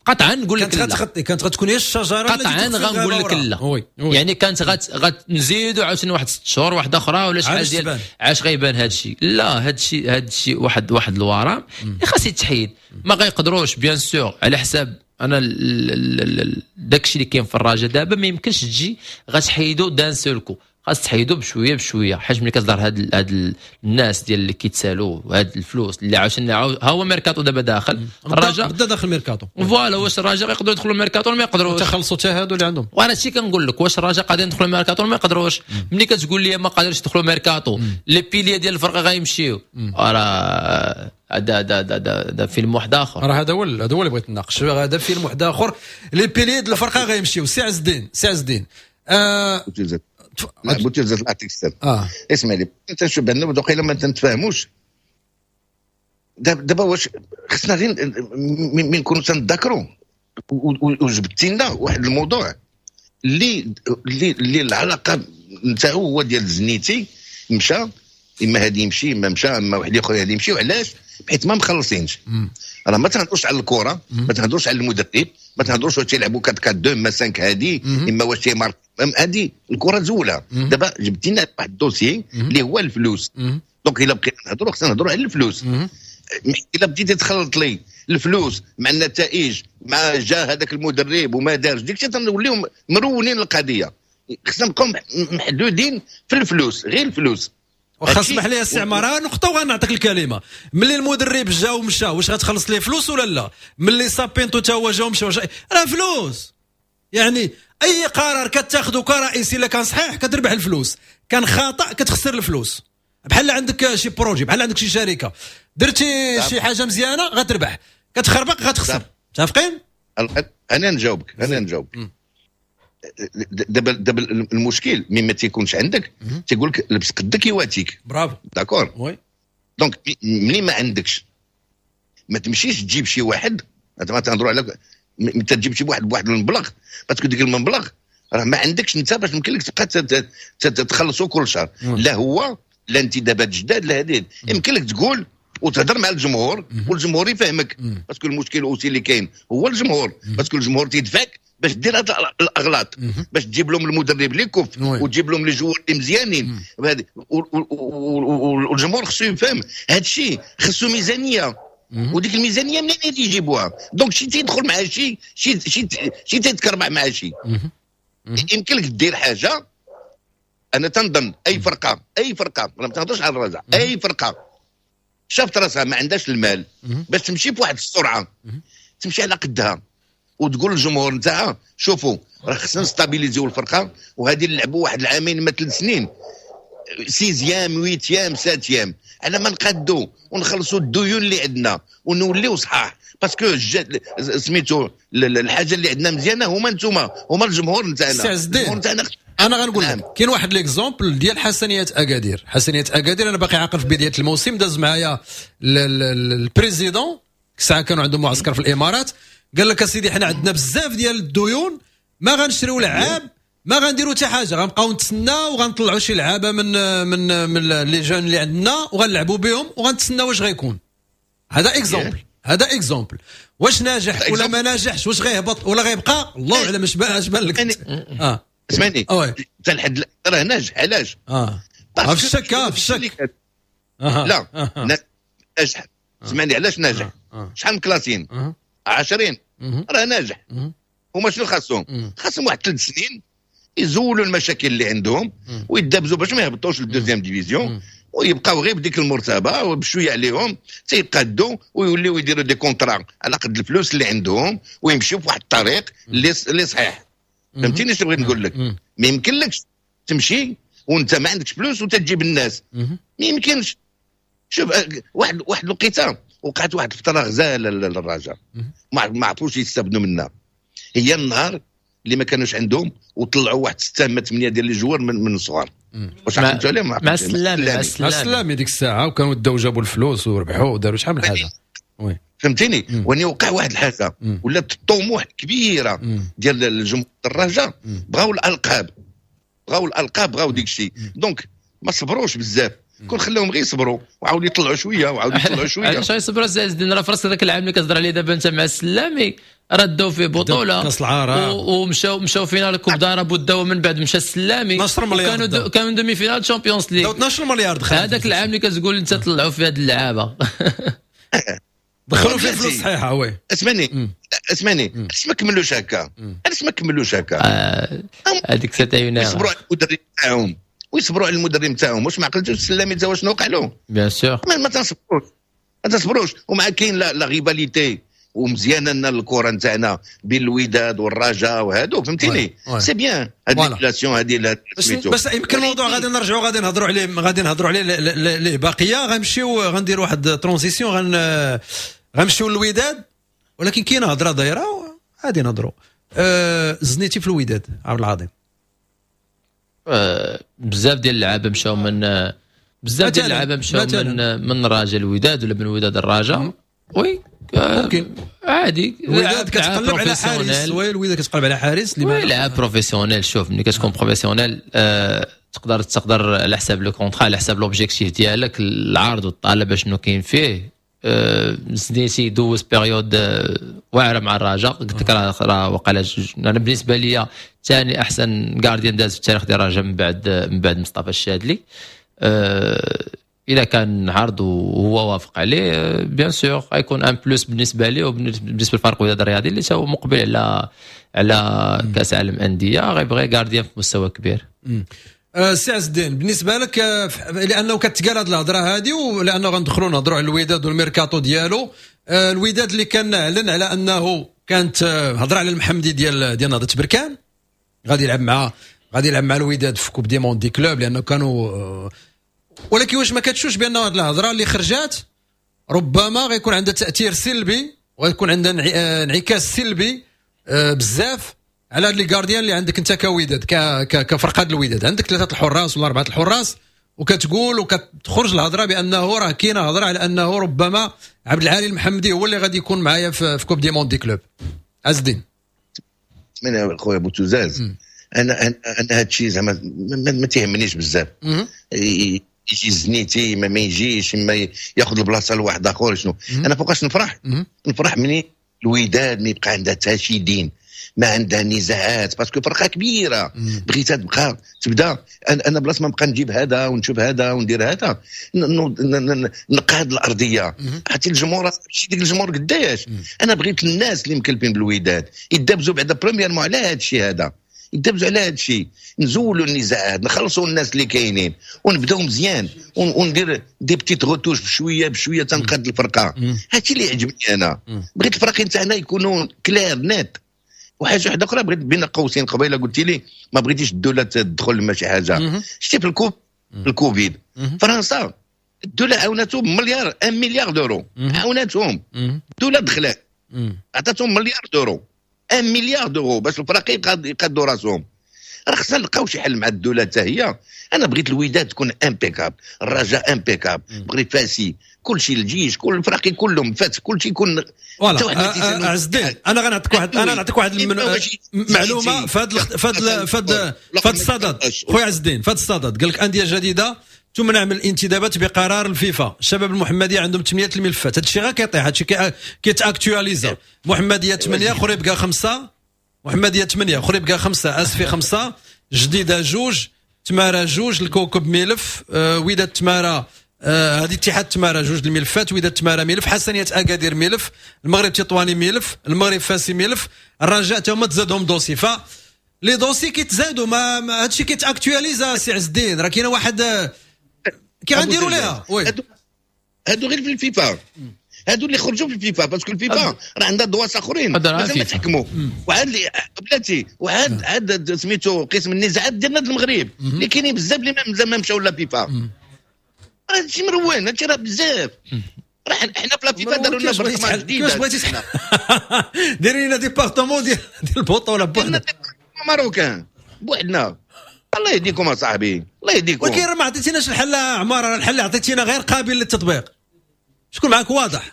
قطعا نقول لك كانت غتخطي، كانت غتكون هي الشجرة. قطعا غنقول لك لا oui. oui. يعني كانت غت غتنزيدوا عاوتاني واحد ست شهور واحدة اخرى ولا شحال ديال عاش غيبان هذا الشيء. لا هذا الشيء هذا الشيء واحد واحد الورم اللي خاص يتحيد، ما غيقدروش bien sûr على حساب انا داك الشيء اللي كاين في الرجاء دابا ما يمكنش تجي غتحيدو d'un seul coup، خاص تحيدو بشوية بشوية. حيت ملي كتهضر هاد هاد الناس ديال اللي كيتسالوا هاد الفلوس اللي عاوتاني ها هو ميركاتو دابا داخل الرجاء، بدا داخل ميركاتو. voilà واش الرجاء يقدروا يدخلوا ميركاتو ولا ما يقدروش؟ تخلصوا حتى هادو اللي عندهم. وانا هادشي كنقول لك، واش الرجاء قادرين يدخلوا ميركاتو ولا ما يقدروش؟ ملي كتقول لي ما قادرش يدخلوا ميركاتو، les piliers ديال الفرقة غيمشيو، راه هذا هذا هذا فيلم واحد اخر. راه هذا هو هذا هو اللي بغيت نناقش، هذا فيلم واحد اخر، les piliers ديال الفرقة غيمشيو. سي عز الدين، سي عز الدين، آه بوتيزات نعطيك السر. اه اسمع لي، انت شوف بان وقيلا ما تنتفاهموش دابا. واش خصنا غير من نكونوا تنتذكروا وجبتي لنا واحد الموضوع اللي اللي اللي العلاقة نتاعو هو ديال زنيتي مشى، اما هادي يمشي اما مشى، اما واحد اخر هادي يمشي. وعلاش؟ حيت ما مخلصينش. راه ما تهضروش على الكره، ما تهضروش على المدرب، ما تهضروش واش تيلعبوا أربعة أربعة اثنين ما خمسة هادي، اما واش تيمارك هادي. الكره زوله. دابا جبتي لنا واحد ال dossier اللي هو الفلوس. donc الا بقينا نهضروا خصنا نهضروا على الفلوس. الا بديتي تخلط لي الفلوس مع النتائج، مع جا هذاك المدرب وما دارش ديك الشيء، تنوليو مرونين القضية. خصنا نبقاو محدودين في الفلوس، غير الفلوس. واخا اسمح لي السي عمارة نقطة وغنعطيك الكلمة. ملي المدرب جا ومشى واش غتخلص ليه فلوس ولا لا؟ ملي سابينتو تا هو جا ومشى راه فلوس. يعني اي قرار كتاخذه كرئيس الا كان صحيح كتربح الفلوس، كان خطا كتخسر الفلوس. بحال عندك شي projet، بحال عندك شي شركة، درتي شي حاجة مزيانه غتربح، كتخربق غتخسر. متفقين؟ انا نجاوبك انا نجاوبك دابا دابا المشكل ملي ما تيكونش عندك تيقول لك لبس قدك يواتيك. bravo d'accord oui. donc ملي ما عندكش ما تمشيش تجيب شي واحد، ما تهضروا على انت تجيب شي واحد بواحد المبلغ، parce que ديك المبلغ راه ما عندكش انت باش يمكن لك تبقى تخلصوا كل شهر. لا هو لا انتدابات جداد لا هذه. يمكن لك تقول وتهضر مع الجمهور والجمهور يفهمك، parce que المشكل aussi اللي كاين هو الجمهور، parce que الجمهور تيدفعك باش دير هاد الاغلاط، باش تجيب لهم المدرب اللي كفء وتجيب لهم les joueurs اللي مزيانين. والجمهور خصو يفهم هذا الشيء، خصو ميزانية، وديك الميزانية منين يجيبوها؟ donc شي تيدخل مع شي شي شي شي تيتكربع مع شي. يمكن لك دير حاجة. انا تنظن اي فرقه اي فرقه انا ما تنهضرش على الرجاء، اي فرقه شافت راسها ما عندهاش المال باش تمشي بواحد السرعة، تمشي على قدها وتقول للجمهور نتاعها شوفوا راه خصنا نستابيليزيو الفرقة، وهذه نلعبوا واحد العامين ما ثلاث سنين sixième huitième septième على ما نقادو ونخلصوا الديون اللي عندنا ونوليو صحاح. parce que سميتو الحاجة اللي عندنا مزيانه هما نتوما، هما الجمهور نتاعنا. الجمهور نتاعنا انا غنقول لك كاين واحد l'exemple ديال حسنيه اكادير. حسنيه اكادير انا باقي عاقل في بداية الموسم داز معايا ال président، الساعة كانوا عندهم معسكر في الامارات، قال لك اسيدي حنا عندنا بزاف ديال الديون، ما غنشريو لعاب، ما غنديروا حتى حاجه، غنبقاو نتسناو وغنطلعوا شي لعابه من من من les jeunes اللي عندنا وغنلعبوا بهم وغنتسناو واش غيكون. هذا exemple، هذا exemple. واش ناجح ولا ما ناجحش، واش غيهبط ولا غيبقى، الله اعلم. اش بان لك؟ اه اسمعني، حتى لحد راه ناجح. علاش؟ اه في الشك، في الشك. لا ناجح، اسمعني علاش ناجح. شحال من classés؟ عشرين، راه ناجح. هما شنو خاصهم؟ خاصهم واحد ثلاث سنين يزولوا المشاكل اللي عندهم ويدابزوا باش ما يهبطوش لل deuxième division ويبقاو غير بديك المرتبة، وبشويه عليهم تيقادوا ويوليو يديروا des contrats على قد الفلوس اللي عندهم ويمشيو في واحد الطريق اللي اللي صحيح. فهمتيني شنو بغيت نقول لك؟ ما يمكنلكش تمشي وانت ما عندكش فلوس وتجيب الناس، ما يمكنش. شوف واحد واحد الوقيته وقعت واحد الفترة غزاله للرجاء ما عرفوش يستافدوا منها، هي النهار اللي ما كانوش عندهم وطلعوا واحد ستة ما ثمانية ديال les joueurs من من الصغار. واش عقلتوا عليهم؟ مع السلامي، مع السلامي ديك الساعه، وكانوا داو جابوا الفلوس وربحوا وداروا شحال من حاجة. oui فهمتيني. واني وقع واحد الحاجة ولات الطموح كبيرة ديال الجمهور الرجاء، بغاو الالقاب، بغاو الالقاب، بغاو ديك الشيء، donc ما صبروش بزاف. كون خلاهم غير يصبروا وعاودوا يطلعوا شوية وعاودوا يطلعوا شويه. علاش يصبروا السي عز الدين؟ راه فرص هذاك العام اللي كتهضر عليه دابا انت مع السلامي راه داو فيه بطوله كاس العرب ومشاو مشاو finale coupe d'Arabe وداو من بعد مشى السلامي اثنا عشر مليار، كانوا كانوا demi-finale Champions League، اثنا عشر مليار دخل هذاك العام اللي كتقول انت طلعوا فيه هاد اللعابه. دخلوا فيه فلوس صحيحه. oui اسمعني اسمعني، علاش ما كملوش هكا؟ علاش ما كملوش هكا؟ هذيك c'était يصبروا على المدرب تاعهم ويصبروا على المدرب تاعهم. واش ما عقلتوش السلامي تا شنو وقع له؟ bien sûr. ما تصبروش، ما تصبروش. ومع كاين la rivalité ومزيانه لنا الكره نتاعنا بين الوداد والرجاء وهادو، فهمتيني؟ c'est bien هاد l'émulation هادي. بس, بس يمكن الموضوع غادي نرجعوا غادي نهضروا عليه، غادي نهضروا عليه ليه باقيه. غنمشيو غنديروا واحد transition، غن غنمشيو للوداد، ولكن كاينه هضره دايرة غادي نهضروا. أه زنيتي في الوداد عبد العظيم؟ أه بزاف ديال اللعابه مشاو من بزاف ديال اللعابه مشاو من من الرجاء الوداد ولا من الوداد الرجاء. oui ممكن. عادي. الوداد كتقلب على حارس. oui الوداد كتقلب على حارس. اللي لاعب professionnel. شوف ملي كتكون professionnel آه تقدر تقدر على حساب le contrat، على حساب l'objectif ديالك، العرض والطلب شنو كاين فيه. آه زنيتي دوز période آه واعرة مع الرجاء، قلت لك راه راه وقع. انا بالنسبة لي ثاني احسن gardien داز في التاريخ ديال الرجاء من بعد من بعد مصطفى الشادلي. آه اذا كان عرض وهو وافق عليه bien sûr غيكون un plus بالنسبة ليه وبالنسبة للفريق الوداد الرياضي اللي هو مقبل على على كاس العالم انديه، غيبغي gardien في مستوى كبير. أه، سي عز الدين، بالنسبة لك أه، لانه كتقال هذه الهضرة هذه ولانه غندخلوا نهضروا على الوداد والميركاتو ديالو، أه، الوداد اللي كان اعلن على انه كانت هضره على المحمدي ديال ديال نهضة بركان غادي يلعب مع غادي يلعب مع الوداد في coupe du monde des clubs، لانه كانوا، ولكن واش ما كتشوفش بان هذه الهضرة اللي خرجات ربما غيكون عندها تاثير سلبي وغيكون عندها انعكاس سلبي بزاف على هاد les gardiens اللي عندك انت كوداد، كفرقه الوداد عندك ثلاثة الحراس ولا اربعة الحراس، وكتقول وكتخرج الهضرة بانه راه كاينه هضره على انه ربما عبد العالي المحمدي هو اللي غادي يكون معايا في, في coupe du monde des clubs؟ عز الدين. من خويا بوتوزاز، انا انا انا هذا الشيء زعما ما, ما تيهمنيش بزاف، يجي زنيتي ما, ما يجيش، ما ياخذ البلاصة لواحد اخر شنو. انا فوقاش نفرح؟ نفرح مني الوداد ما يبقى عندها حتى شي دين، ما عندها نزاعات، parce que فرقه كبيرة بغيتها تبقى تبدا. انا بلاصة ما نبقى نجيب هذا ونشوف هذا وندير هذا، نقاد الارضية حتى الجمهور، ديك الجمهور قداش. انا بغيت الناس اللي مكلفين بالوداد يدابزوا بعدا premièrement على هذا الشيء هذا، يدبزوا على هذا الشيء، نزولوا النزاعات، نخلصوا الناس اللي كاينين ونبداو مزيان وندير des petites retouches بشوية بشوية تنقاد الفرقه. هادشي اللي يعجبني. انا بغيت الفرق تاعنا يكونوا clairs nets. وحاجه واحدة اخرى بغيت بين قوسين، قبيلة قلت لي ما بغيتيش الدولة تدخل ما شي حاجه. شتي في الكوب في الكوفيد فرنسا الدولة عاونتهم مليار، un milliard d'euros عاونتهم الدوله، دخلت عطاتهم مليار d'euros، un milliard d'euros باش الفرق يقادوا راسهم. راه خصنا نلقاو شي حل مع الدولة حتى هي. انا بغيت الوداد تكون impeccable، الرجاء impeccable، بغيت فاسي، كل شيء، الجيش، كل الفراقي كلهم فات، كل شيء يكون. voilà عز الدين، انا غنعطيك واحد انا نعطيك واحد المعلومة في هذا في هذا في هذا الصدد خويا عز الدين. في هذا الصدد قال لك اندية جديدة تمنع من الانتدابات بقرار الفيفا. الشباب المحمدية عندهم ثمانية الملفات، هذا الشيء غير كيطيح، هذا الشيء كيت actualisa. محمديه ثمانية، خريبكا خمسة، محمديه ثمانية، خريبكا خمسة، اسفي خمسة، جديدة جوج، تمارا جوج، الكوكب ملف، آه، وداد تمارا، آه، هذه اتحاد تمارا جوج الملفات، وداد تمارا ملف، حسنيه اكادير ملف، المغرب تطواني ملف، المغرب فاسي ملف، الرجاء تا هما تزادهم dossier. ف les dossiers كيتزادوا، ما, ما هادشي كيت actualisa. سي عز الدين، راه كاينه واحد كي غنديروا ليها؟ oui، هادو غير في الفيفا، هادو اللي خرجوا في الفيفا، parce que الفيفا راه عندها دواس اخرين مازال ما تحكموا. وعاد اللي بلاتي، وعاد عاد سميتو قسم النزاعات ديالنا المغرب اللي كاينين بزاف اللي مازال ما مشاو la FIFA. راه هادشي مروان، هادشي راه بزاف. راه حنا في la FIFA داروا لنا برطمان جديد. كيفاش بغيتي ديري لنا département ديال ديال البطولة بوحدنا؟ marocain بوحدنا. الله يهديكم اصاحبي، الله يهديكم. ولكن ما عطيتيناش الحل عمار، الحل اللي عطيتينا غير قابل للتطبيق. شكون معك واضح؟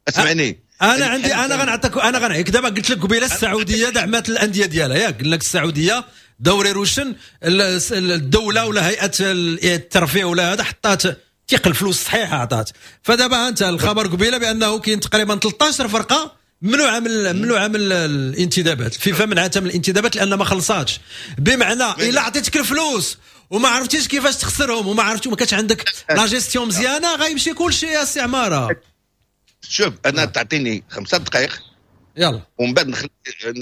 اسمعني. انا عندي، انا غنعطيك، انا غنعطيك دابا. قلت لك قبيلة السعودية دعمت الاندية ديالها، ياك؟ قلنا لك السعودية دوري روشن، الدولة ولا هيئة الترفيه ولا هذا حطات تيق الفلوس صحيحه عطات. فدابا انت الخبر قبيلة بانه كاين تقريبا ثلاثة عشر فرقه ممنوعة من ممنوعة من الانتدابات، الفيفا منعتها من الانتدابات لان ما خلصاتش. بمعنى الا عطيتك الفلوس وما عرفتيش كيفاش تخسرهم وما عرفتي وما كانش عندك la gestion مزيانه، غيمشي كل شيء يا سي عماره. شوف، انا تعطيني خمسة دقائق. يلا. ومن بعد نخلي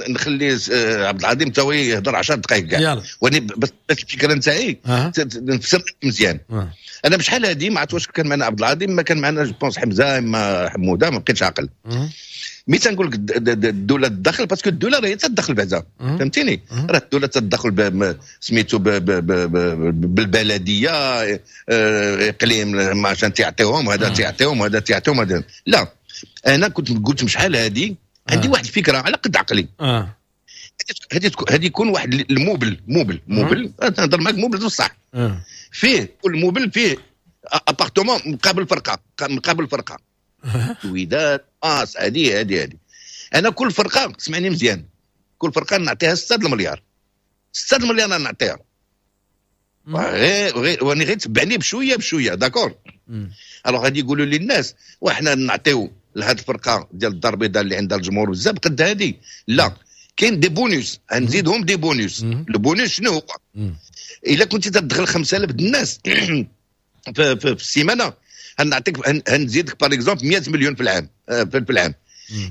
نخلي آه، عبد العظيم تا هو يهضر عشر دقائق كاع. يلا. وني بس بس الفكرة نتاعي أه. نفسر مزيان. أه. انا بشحال هادي ما عرفت واش كان معنا عبد العظيم، ما كان معنا je pense حمزة اما حموده، ما بقيتش عاقل. أه. mais تنقول لك الدولة تدخل، parce que الدولة راهي تدخل بعدا، فهمتيني؟ راه الدولة تدخل سميتو بالبلديه، آه، اقليم عشان تعطيهم هذا، تعطيهم هذا، تعطيهم هذا. لا، انا كنت قلت شحال هذه عندي واحد الفكرة على قد عقلي. اه هذه هذه يكون واحد l'immeuble immeuble immeuble، نهضر معاك immeuble بصح. اه فيه كل immeuble فيه appartement مقابل فرقه، مقابل فرقه الوداد اس هذه هذه هذه. انا كل فرقه، اسمعني مزيان، كل فرقه نعطيها ستة المليار، ستة المليار نعطيها غير غير واني غير تبعني بشوية بشويه، d'accord؟ alors غادي يقولوا لي الناس وحنا نعطيو لهاد الفرقة ديال الدار البيضاء اللي عندها الجمهور بزاف قد هذه؟ لا، كاين des bonus، نزيدهم des bonus. le bonus شنو هو؟ الا كنت تدخل خمسة آلاف الناس في, في, في السيمانه، غنعطيك، غنزيدك par exemple مية مليون في العام، آه، في العام.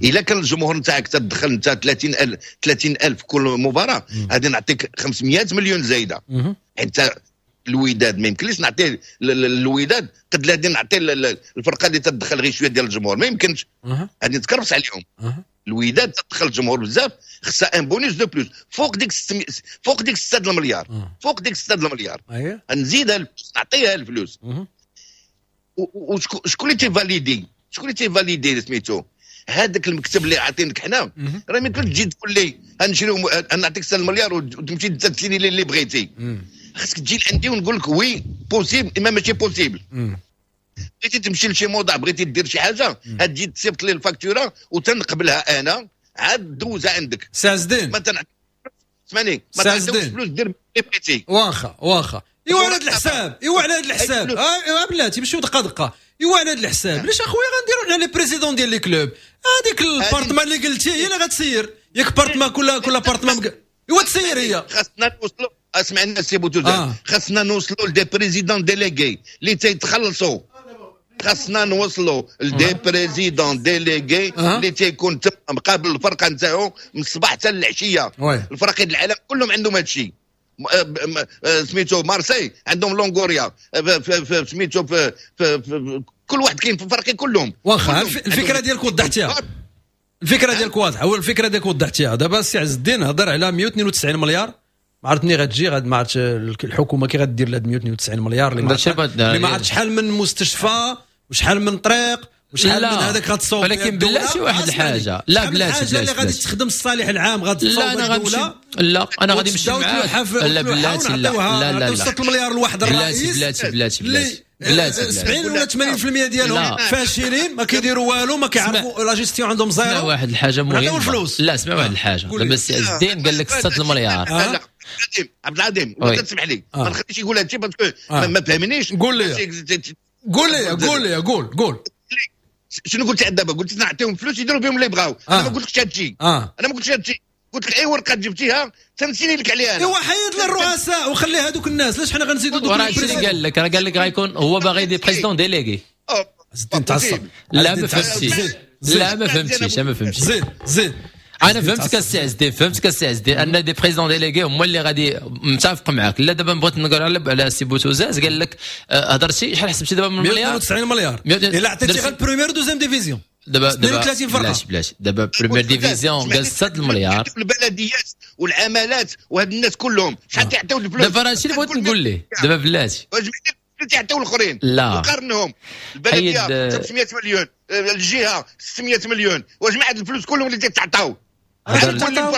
الا كان الجمهور نتاعك تدخل انت ثلاثين ألف، ثلاثين ألف كل مباراه، غادي نعطيك خمسمية مليون زايده. انت الوداد ما يمكنليش نعطي الوداد قد غادي نعطي الفرقة اللي تدخل غير شوية ديال الجمهور، ما يمكنش، غادي نتكرفس عليهم. الوداد تدخل الجمهور بزاف، خصها un bonus de plus فوق ديك ستمية، فوق ديك ستة المليار، فوق ديك ستة المليار نزيدها الفلوس، نعطيها الفلوس. وشكون اللي تي valider؟ شكون اللي تي valider؟ سميتو هذاك المكتب اللي عاطينك حنا. راه ما يمكنش تجي تقول لي غنشريو، نعطيك ستة المليار وتمشي تسيني لي اللي بغيتي. خاصك تجي لعندي ونقول لك oui possible اما ماشي possible. بغيتي تمشي لشي موضع، بغيتي دير شي حاجه، تجي تصيفط لي ال facture وتنقبلها انا عاد دوزها عندك. سي عز الدين. ما تنع... اسمعني، ما تعطيوش فلوس دير اللي بغيتي. واخا واخا، ايوا على هذا الحساب، ايوا على هذا الحساب، اه بلاتي مشيو دقه دقه. ايوا على هذا الحساب علاش اخويا غنديروا حنا les présidents ديال les clubs؟ هذيك l'appartement اللي قلتي هي اللي غتسير، ياك؟ appartement كل كل appartement ايوا تسير هي. خاصنا نوصلوا، اسمعنا سي بوتوزان، آه. خاصنا نوصلوا ل des présidents délégués اللي تيتخلصوا، خاصنا نوصلوا ل des présidents délégués اللي تيكون تما مقابل الفرقة نتاعو من الصباح حتى العشيه. الفرق العالم كلهم عندهم هذا الشيء. سميتو مارسي عندهم لونغوريا، سميتو في, في, في كل واحد كاين في فرقي كلهم. واخا، الفكرة ديالك وضحتيها، الفكرة ديالك واضحه، هو الفكرة ديالك وضحتيها. دابا السي عز الدين هضر على مية واثنين وتسعين مليار، ما عرفت منين غتجي غاد، ما عرفتش الحكومة كي غدير لهاد مية واثنين وتسعين مليار اللي ما عرفت شحال من مستشفى وشحال من طريق. وشحال من هذاك غتصوب، ولكن بلاتي واحد الحاجة، لا بلاتي بلاتي اللي غادي تخدم الصالح العام غتصوب الدولة. لا انا غادي نمشي معاك. لا بلاتي، لا لا لا ستة المليار لواحد الرئيس، بلاتي بلاتي بلاتي بلاتي سبعين ولا ثمانين بالمية ديالهم فاشلين، ما كيديروا والو، ما كيعرفوا la gestion عندهم zéro. اسمع واحد الحاجة مهمة، لا اسمع واحد الحاجة، دابا السي عز الدين قال لك ستة المليار. عبد العظيم ما تسمح لي، ما نخليش يقول هادشي parce que ما فهمنيش. قول لي قول لي قول لي قول قول شنو قلت دابا؟ قلت نعطيهم فلوس يديروا بهم اللي بغاو. انا ما قلتلكش هادشي، انا ما قلتش هادشي، قلت لك اي ورقة جبتيها تنسيني لك عليها. ايوا حيد للرؤساء وخلي هذوك الناس، علاش حنا غنزيدوا دوك؟ راه اللي قال لك، راه قال لك غيكون هو باغي des présidents délégués. زيد تعصب. لا ما فهمتيش، لا ما فهمتيش، ما فهمتيش. زيد زيد انا فهمتك السي عز الدين، فهمتك السي عز الدين ان des présidents délégués هما اللي غادي متفق معاك. لا دابا بغيت نقول على على سي بوتوزاز، قال لك هضرتي شحال حسبتي دابا من مليار؟ مية وتسعين مليار الا عطيتي غير première deuxième division. دابا دابا اثنين وثلاثين فرقه. بلاش بلاش دابا première division قال ستة المليار. البلديات والعمالات وهاد الناس كلهم شحال تيعطيو الفلوس؟ دابا راه هادشي اللي بغيت نقول ليه دابا بلاتي. تيعطيو الاخرين، لا وقارنهم. البلدية خمسمية مليون، الجهة ستمية مليون، وجمع هاد الفلوس كلهم اللي تيتعطاو.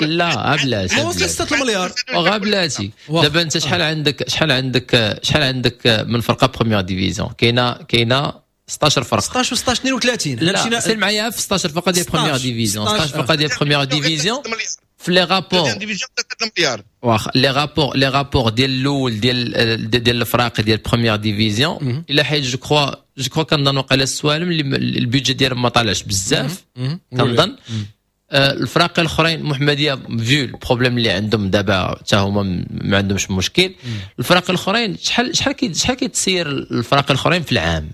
لا بلاتي وصل ستة المليار. وغا بلاتي دابا انت شحال عندك شحال عندك شحال عندك من فرقه première division؟ كاينه كاينه ستة عشر فرقه. ستة عشر و ستة عشر اثنين وثلاثين. لا سير معايا في ستة عشر فرقه ديال première division، ستة عشر فرقه ديال première division في les rapports واخا les rapports les rapports ديال الاول ديال ديال الفراق ديال première division الى حيت je crois je crois كنظن وقيلا السوالم اللي ال budget ديالهم ما طالعش بزاف كنظن. الفراق الاخرين محمديه vu ال problème اللي عندهم دابا حتى هما ما عندهمش مشكل. الفراق الاخرين شحال شحال شحال كيتسير الفراق الاخرين في العام؟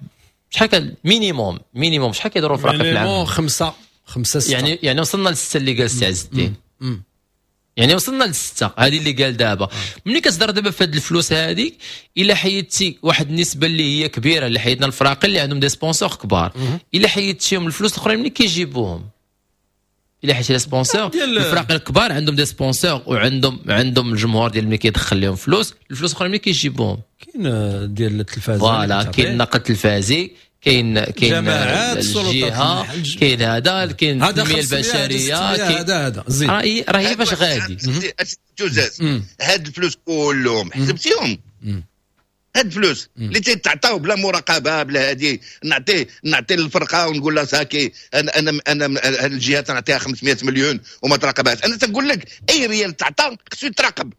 شحال كان minimum minimum شحال كيديروا الفراق في العام؟ خمسة خمسة ستة. يعني يعني وصلنا لستة اللي قال السي عز الدين، يعني وصلنا لستة هذه اللي قال دابا. ملي كتهضر دابا في هاد الفلوس هذيك الا حيدتي واحد النسبة اللي هي كبيرة اللي حيدنا الفراق اللي عندهم des sponsors كبار، الا حيدتيهم الفلوس الاخرين ملي كيجيبوهم؟ الا حيت les sponsors الفراق الكبار عندهم des sponsors وعندهم عندهم الجمهور ديال ملي كيدخل لهم فلوس، الفلوس الاخرين ملي كيجيبوهم؟ كاين ديال التلفاز، voilà كاين النقل التلفازي، كاين كاين الجهة، كاين هذا، كاين التنمية البشرية، كاين هذا هذا زين. راه راه هي باش غادي توزاز هاد الفلوس كلهم حسبتيهم؟ هاد الفلوس اللي تيتعطاو بلا مراقبة بلا هادي، نعطي نعطي للفرقة ونقول لها ساكي انا انا انا هاد الجهة تنعطيها خمسمية مليون وما تراقبهاش. انا تنقول لك اي ريال تعطى خصو يتراقب،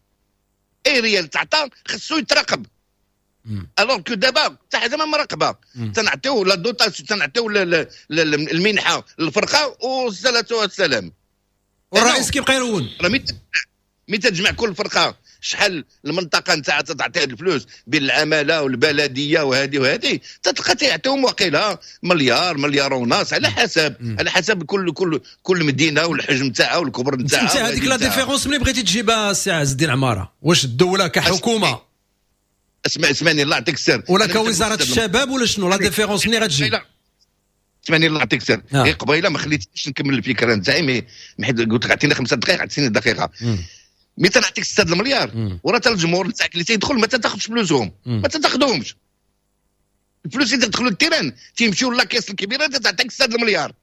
اي ريال تعطى خصو يتراقب. alors que دابا حتى حاجة ما مراقبة، تنعطيو la dotation، تنعطيو المنحة للفرقة والصلاة والسلام. والرئيس كيبقى يرون. راه ملي تجمع كل فرقه شحال المنطقة نتاعها تعطيها الفلوس بين العمالة والبلديه وهذه وهذه، تتلقى تيعطيهم وقيله مليار مليار ونص على حسب مم. على حسب كل كل كل مدينة والحجم تاعها والكبر نتاعها. انت هذيك la différence ملي بغيتي تجيبها السي عز الدين عمارة، واش الدولة كحكومة اسمع اسمعني الله يعطيك السر ولا كوزارة الشباب ولا شنو la différence ملي غتجي؟ اسمعني الله يعطيك السر، غير قبيلة ما خليتنيش نكمل الفكرة نتاعي، mais حيت قلت لك عطيني خمسة دقائق عطيني دقيقة. mais تنعطيك ستة المليار وراه حتى الجمهور نتاعك اللي تيدخل ما تاخذش فلوسهم، ما تاخذهمش الفلوس اللي تدخلوا ال terrain تيمشيو la caisse الكبيرة تعطيك ستة المليار.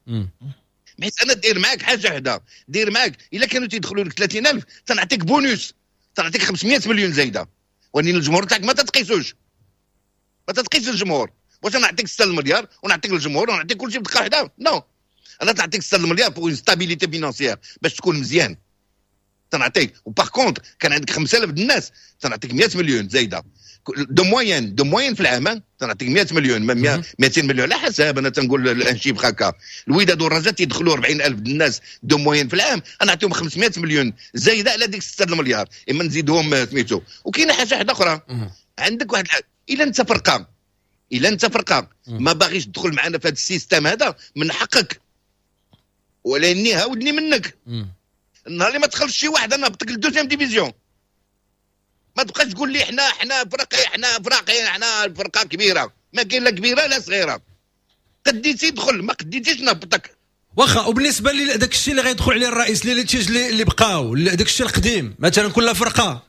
حيت انا داير معاك حاجة وحده، داير معاك الا كانوا تيدخلوا لك ثلاثين ألف تنعطيك بونوس، تنعطيك خمسمية مليون زايدة، ولكن الجمهور تاعك ما تتقيسوش، ما تتقيس الجمهور. واش نعطيك ستة المليار ونعطيك الجمهور ونعطيك كلشي بدقة واحدة؟ non، انا تعطيك ستة المليار pour une stabilité financière باش تكون مزيان تنعطيك. و par contre كان عندك خمسة آلاف الناس تنعطيك مية مليون زايدة de moyenne، de moyenne في العام تنعطيك مية مليون، مئتين مليون على حسب. انا تنقول un chiffre هكا، الوداد والرجاء تيدخلوا أربعين ألف الناس de moyenne في العام، انا نعطيهم خمسمية مليون زايدة على ديك ستة المليار، اما نزيدهم سميتو. وكاينه حاجة واحدة اخرى، عندك واحد الحاجة، الا انت فرقه، الا انت فرقه ما باغيش تدخل معنا في هذا ال système هذا من حقك، ولاني هاودني منك النهار اللي ما تخلصش شي واحد انا نهبطك لل deuxième division. ما تبقاش تقول لي حنا حنا فرقي حنا فراقي حنا فرقه كبيرة، ما كاين لا كبيرة لا صغيرة. قديتي دخل، ما قديتيش نهبطك. واخا. وبالنسبة لداك الشيء اللي غيدخل عليه الرئيس، les litiges اللي بقاو، داك الشيء القديم مثلا كل فرقه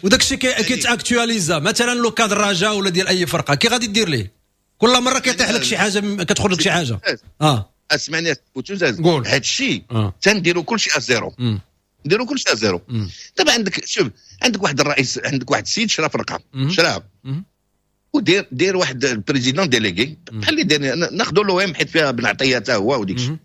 وداك الشيء كيت actualisa، مثلا le cas د الرجاء ولا ديال اي فرقه، كي غادي دير ليه؟ كل مرة كيطيح لك شي حاجة، كتخرج لك شي حاجة. اه اسمعني بوتوزاز، هذا الشيء تنديروا كل شيء à zéro، نديروا كل شيء à zéro. دابا عندك شوف، عندك واحد الرئيس، عندك واحد السيد شرا فرقه، شراها ودير دير واحد ال président délégué بحال اللي داير، ناخذوا l'OM حيت فيها بن عطية حتى هو وديك الشيء.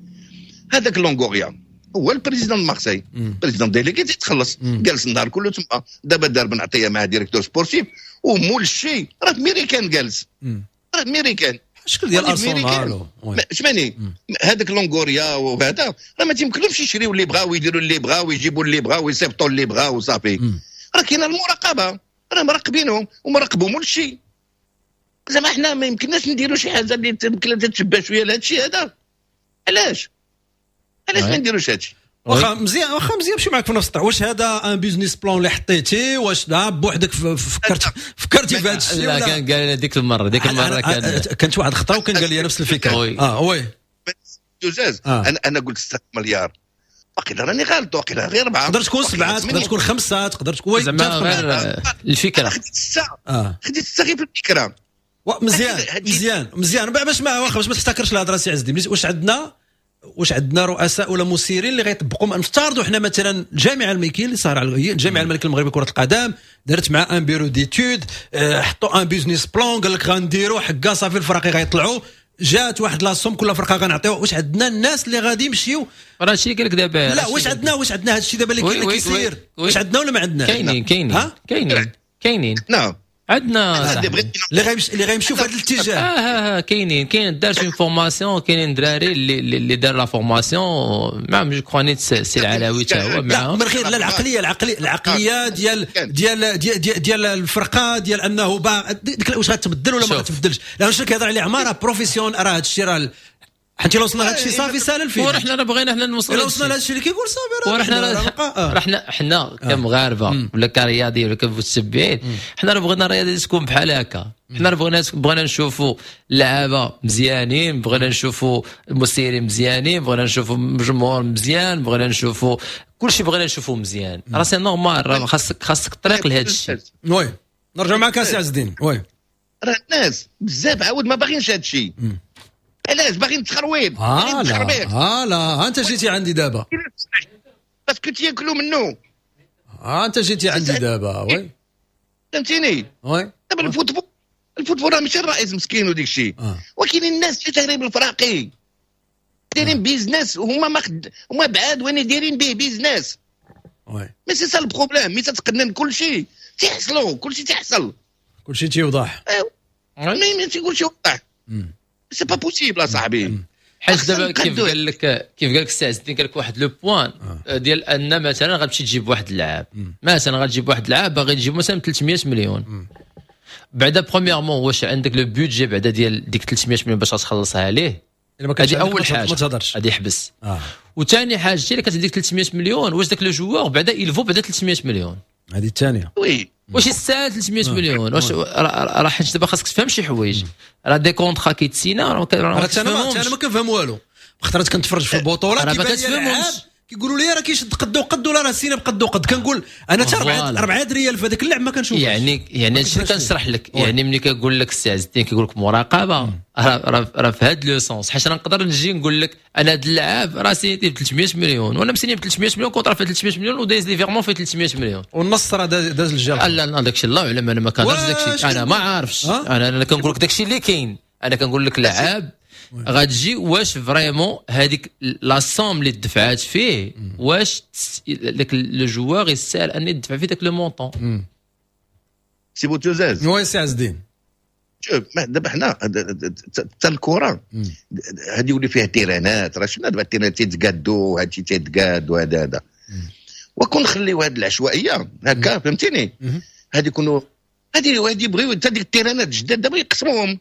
هذاك لونغوريا هو ال président Marseille، président délégué تيتخلص، جالس النهار كله تما. دابا دار بن عطية مع directeur sportif ومول الشيء راه ميريكان، جالس راه ميريكان الشكل ديال ارسنال. اسمعني، هذاك لونغوريا وهذا راه ما تيمكنلهمش يشريو اللي بغاو ويديروا اللي بغاو ويجيبوا اللي بغاو ويصيفطوا اللي بغاو وصافي. راه كاينه المراقبة، راه مراقبينهم ومراقبوا مول الشيء. زعما حنا ما يمكنناش نديروا شي حاجة اللي يمكن تتشبه شوية لهذا الشيء هذا. علاش علاش ما نديروش هذا الشيء؟ واخا مزيان، واخا مزيان، نمشي معاك في نفس الطريق. واش هذا un business plan اللي حطيتي؟ واش لا بوحدك فكرت فكرتي في هذا الشيء؟ لا، كان قال لنا ديك المرة، ديك المرة كان كانت واحد الخطرة وكان قال لي نفس الفكرة. اه oui دوزاز. انا انا قلت ستة مليار، واقيلا راني غلط، واقيلا غير اربعة، تقدر تكون سبعة، تقدر تكون خمسة، تقدر تكون زعما غير الفكرة. خديت ستة، خديت ستة غير في الفكرة. مزيان مزيان مزيان. باش ما واخا باش ما تحتكرش الهضرة سي عز الدين، واش عندنا واش عندنا رؤساء ولا مسيرين اللي غيطبقوا؟ نفترضوا حنا مثلا الجامعة الملكية اللي صار على الجامعة الملكية المغربية كره القدم دارت مع un bureau d'études، حطوا un business plan، قال لك غنديروا حكا صافي الفراقي غيطلعوا، جات واحد la somme كل فرقه غنعطيو. واش عندنا الناس اللي غادي يمشيو؟ راه هادشي قال لك دابا. لا، واش عندنا واش عندنا هادشي دابا اللي كيسير؟ واش عندنا ولا ما عندناش؟ كاينين كاينين كاينين كاينين. نعم عندنا اللي غيمشي اللي غيمشيو في هذا الاتجاه. اه اه كاينين كاين دار une formation، كاينين دراري اللي اللي دار la formation معاهم، je crois نيت سي العلاوي حتى هو معاهم. من غير لا العقلية العقلية العقلية ديال ديال ديال ديال الفرقة ديال انه باغ ديك، واش غتبدل ولا ما غتبدلش؟ لا، واش كيهضر عليه عمارة professionnel، راه هذا الشيء راه حتى لو وصلنا لهذا الشيء صافي سال الفيلم. ورحنا راه بغينا حنا نوصلوا، لو وصلنا لهذا الشيء اللي كيقول صافي راه حنا راه حنا حنا كمغاربه ولا كرياضيين ولا كمتبعين، حنا راه بغينا الرياضة تكون بحال هكا. حنا راه بغينا بغينا نشوفوا اللعابه مزيانين، بغينا نشوفوا المسيرين مزيانين، بغينا نشوفوا الجمهور مزيان، بغينا نشوفوا كلشي، بغينا نشوفوا مزيان. راه c'est normal، راه خاصك خاصك الطريق لهذا الشيء. oui، نرجع معك سي عز الدين. oui راه الناس بزاف عاود ما باغينش هذا الشيء. علاش باغيين التخرويب؟ آه لا اه لا، انت جيتي عندي دابا parce que تياكلوا منه. اه انت جيتي عندي دابا oui فهمتيني؟ oui دابا ال football ال football راه ماشي الرئيس مسكين وديك الشيء، آه. ولكن الناس اللي دايرين بالفراقي دايرين business، وهما ما خد... هما بعاد وين دايرين به business. oui mais c'est ça le problème، mais تتقنن كل شيء تيحصلوا، كل شيء تيحصل، كل شيء تيوضح. mais mais تيقول شي وضح، c'est pas possible اصاحبي. حيت دابا كيف قال لك كيف قال لك السي عز الدين، قال لك واحد le point ديال ان مثلا غتمشي تجيب واحد اللاعب، مثلا غتجيب واحد اللاعب باغي تجيب مثلا ثلاثمية مليون. بعدا premièrement واش عندك le budget بعدا ديال ديك ثلاثمية مليون باش غتخلصها عليه؟ هذه اول حاجة، ما تهضرش غادي يحبس. آه. وثاني حاجة اللي كتعطيك ثلاثمية مليون، واش داك le joueur بعدا il vaut بعدا ثلاثمية مليون؟ هذه الثانية. oui واش يستاهل ثلاثمية مليون؟ واش راه حيت دابا خاصك تفهم شي حوايج، راه des contrats كيتسينا راه انا انا ما كنفهم والو. خطرات كنتفرج في البطولة كيبان لي كيقولوا لي راه كيشد قد وقد ولا راه سينا بقد وقد، كنقول انا حتى أربعة ريال في هذاك اللعب ما كنشوفش. يعني يعني هادشي اللي كنشرح لك، يعني ملي كنقول لك السي عز الدين كيقول لك مراقبة، راه راه في هذا le sens. حيت انا نقدر نجي نقول لك انا هذا اللاعب راه سينيتي ب ثلاثمية مليون وانا مسيني ب ثلاثمية مليون، contrat في ثلاثمية مليون ودايز les virements في ثلاثمية مليون والنص راه داز الجرح. لا لا، داكشي الله اعلم، انا ما كنهضرش داكشي، انا ما عارفش. انا انا كنقول لك داكشي اللي كاين. انا كنقول لك لعاب غتجي واش vraiment هذيك la somme اللي دفعات فيه، واش داك le joueur يستاهل ان يدفع فيه داك le montant؟ سي بوتوزاز. oui سي عز الدين. شوف دابا حنا حتى الكره هذه يولي فيها تيرانات، راه شفنا دابا التيرانات تيتقادوا، هادشي تيتقاد وهذا هذا، وكون نخليو هاد العشوائية هكا فهمتيني، هادي يكونوا هادي هادي يبغيو حتى ديك التيرانات الجداد دابا يقسموهم،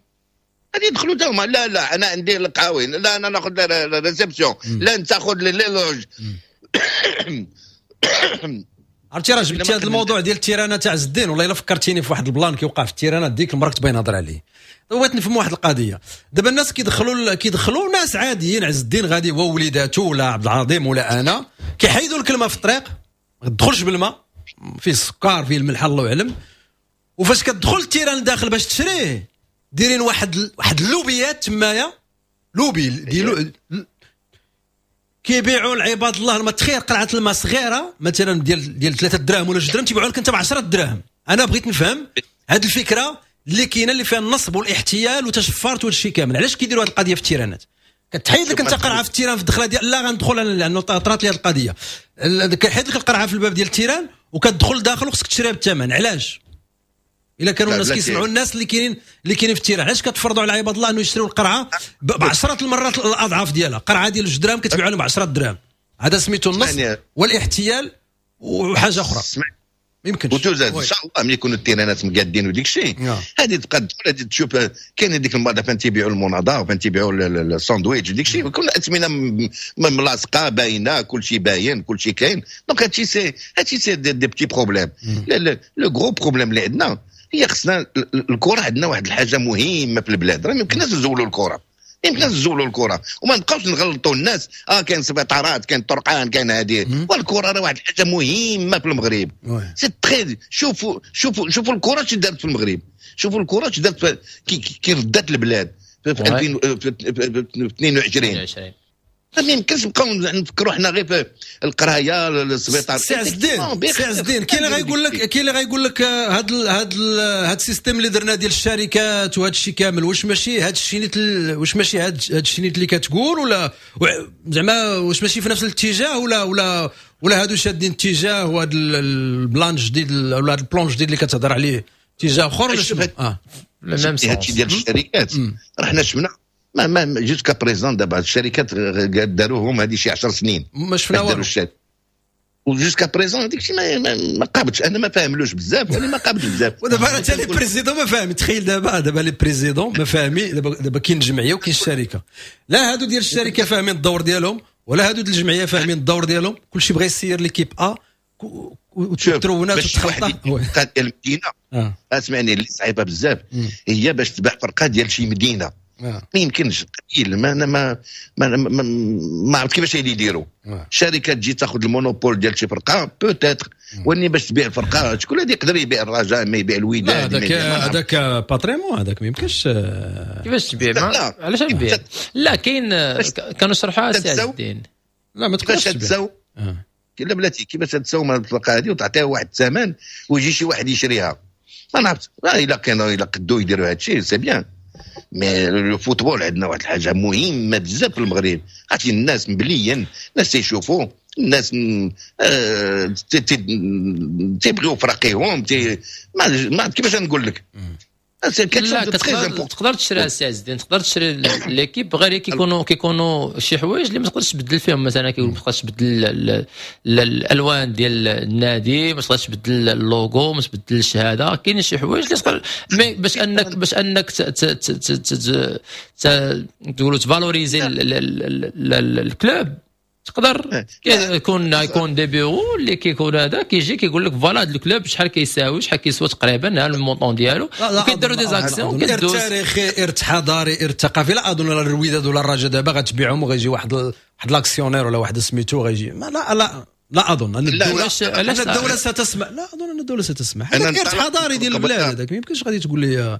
غادي يدخلوا تاهما. لا لا انا عندي القهاوي، لا انا ناخذ réception، لا انت خذ les loges. عرفتي راه جبتي هذا الموضوع ديال التيرانه تاع عز الدين، والله الا فكرتيني في واحد ال plan كيوقع في التيرانه ديك المرة كنت باغي نهضر عليه. بغيت نفهم واحد القضية، دابا الناس كيدخلوا كيدخلوا ناس عاديين، عز الدين غادي هو وليداتو ولا عبد العظيم ولا انا، كيحيدوا الكلمة في الطريق، ما تدخلش بالماء، فيه السكر فيه الملح الله اعلم. وفاش كتدخل ال terrain لداخل باش تشريه دايرين واحد واحد اللوبيات تمايا، لوبي ديالو كيبيعوا لعباد الله الماء. تخيل قرعه الماء صغيرة مثلا ديال ديال ثلاثة دراهم ولا جوج دراهم تيبيعوا لك انت ب عشرة دراهم. انا بغيت نفهم هذه الفكرة اللي كاينه اللي فيها النصب والاحتيال وتشفرت وهذا الشيء كامل، علاش كيديروا هذه القضية في التيرانات؟ كتحيد لك انت قرعه في ال terrain في الدخلة ديال لا غندخل انا لانه طرات لي هذه القضية، كيحيد لك القرعة في الباب ديال ال terrain وكتدخل داخل وخصك تشريها بالثمن. علاش؟ الا كانوا الناس كيسمعوا الناس اللي كاينين اللي كاينين في ال terrain، علاش كتفرضوا على عباد الله انه يشريوا القرعة بعشرة المرات الاضعاف ديالها؟ قرعه ديال جوج دراهم كتبيعوا لهم ب عشرة دراهم، هذا سميتو النصب والاحتيال وحاجه اخرى ما يمكنش. وتوزاد ان شاء الله ملي يكونوا التيرانات مقادين وديك الشيء هذه تبقى تدخل هذه تشوف كاين ديك المرة فين تيبيعوا المناضه وفين تيبيعوا الساندويتش وديك الشيء، يكون الاثمنه ملاصقه باينة، كل شيء باين، كل شيء كاين. donc هادشي c'est هادشي c'est des, des petits problèmes. le gros problème اللي عندنا هي خصنا الكره، عندنا واحد الحاجة مهمة في البلاد، راه ما يمكنناش نزولوا الكره، ما يمكنناش نزولوا الكره وما نبقاوش نغلطوا الناس. اه كاين سبيطارات، كاين طرقان، كاين هذه، والكره راه واحد الحاجة مهمة في المغرب. c'est très شوفوا شوفوا شوفوا الكره اش دارت في المغرب، شوفوا الكره اش دارت كي ردات البلاد في ألفين واثنين وعشرين. ما يمكنش نبقاو نفكروا حنا غير في القراية السبيطار. سي عز الدين، سي عز الدين، كاين اللي غايقول لك كاين اللي غايقول لك هاد هاد هاد ال système اللي درنا ديال الشركات وهاد الشيء كامل، واش ماشي هاد الشيء نيت، واش ماشي هاد هاد الشيء نيت اللي كتقول، ولا زعما واش ماشي في نفس الاتجاه، ولا ولا ولا هادو شادين اتجاه وهاد ال plan الجديد ولا هاد ال plan الجديد اللي كتهضر عليه اتجاه اخر ولا شنو؟ اه هادشي ديال الشركات راه حنا شفنا ما ما jusqu'à présent دابا الشركات داروهم هذه شي عشر سنين ما شفنا والو، و jusqu'à présent هذيك الشيء ما, ما, ما قابلتش، انا ما فاهملوش بزاف، وانا ما قابلتش بزاف. ودابا راه حتى les présidents ما فاهمين. تخيل دابا دابا les présidents ما فاهمين. دابا دابا كاين الجمعية وكاين الشركة، لا هادو ديال الشركة فاهمين الدور ديالهم ولا هادو ديال الجمعية فاهمين الدور ديالهم، كلشي بغى يسير l'équipe A وترونات وتخلطها. ديال المدينة اسمعني اللي صعيبة بزاف هي باش تباع فرقه ديال شي مدينة، ما يمكنش قليل. ما انا ما ما ما, ما عرفت كيفاش يديروا. شركة تجي تاخذ ال monopole ديال شي فرقه peut-être، ولكن باش تبيع الفرقة شكون اللي يقدر يبيع الرجاء ما يبيع الوداد؟ هذاك هذاك patrimoine، هذاك ما يمكنش كيفاش تبيع. علاش نبيع؟ لا كاين كانوا شرحوها سي عز الدين. لا ما تقدرش تبيع. لا بلاتي كيفاش تساوم الفرقة هذه وتعطيها واحد الثمن ويجي شي واحد يشريها؟ ما نعرفت. الا كانوا الا قدوا يديروا هذا الشيء c'est bien. mais le football عندنا واحد الحاجة مهمة بزاف في المغرب، عرفتي الناس مبليين، الناس تيشوفوا، الناس آه تيبغيو فراقيهم، تي ما ما كيفاش نقول لك. لا تقدر تقدر تشري السي عز الدين، تقدر تشري l'équipe، غير كيكونوا كيكونوا شي حوايج اللي ما تقدرش تبدل فيهم. مثلا كيقول ما تقدرش تبدل الالوان ديال النادي، ما تقدرش تبدل اللوغو، ما تبدلش هذا. كاين شي حوايج اللي تقدر، mais باش انك باش انك تقولوا ت valoriser ال club تقدر يكون يكون des bureaux اللي كيكون هذا كيجي كيقول لك voilà هذا ال club شحال كيساوي، شحال كيسوى تقريبا، ها ال montant ديالو، وكيديروا des actions. كدوز تاريخي، ارث حضاري، ارث ثقافي. لا اظن الوداد ولا الرجاء دابا غتبيعهم وغيجي واحد واحد l'actionnaire ولا واحد سميتو غيجي. لا لا لا اظن ان الدولة ان الدولة ستسمح. لا اظن ان الدولة ستسمح. هذاك ارث حضاري ديال البلاد، هذاك ما يمكنش غادي تقول لي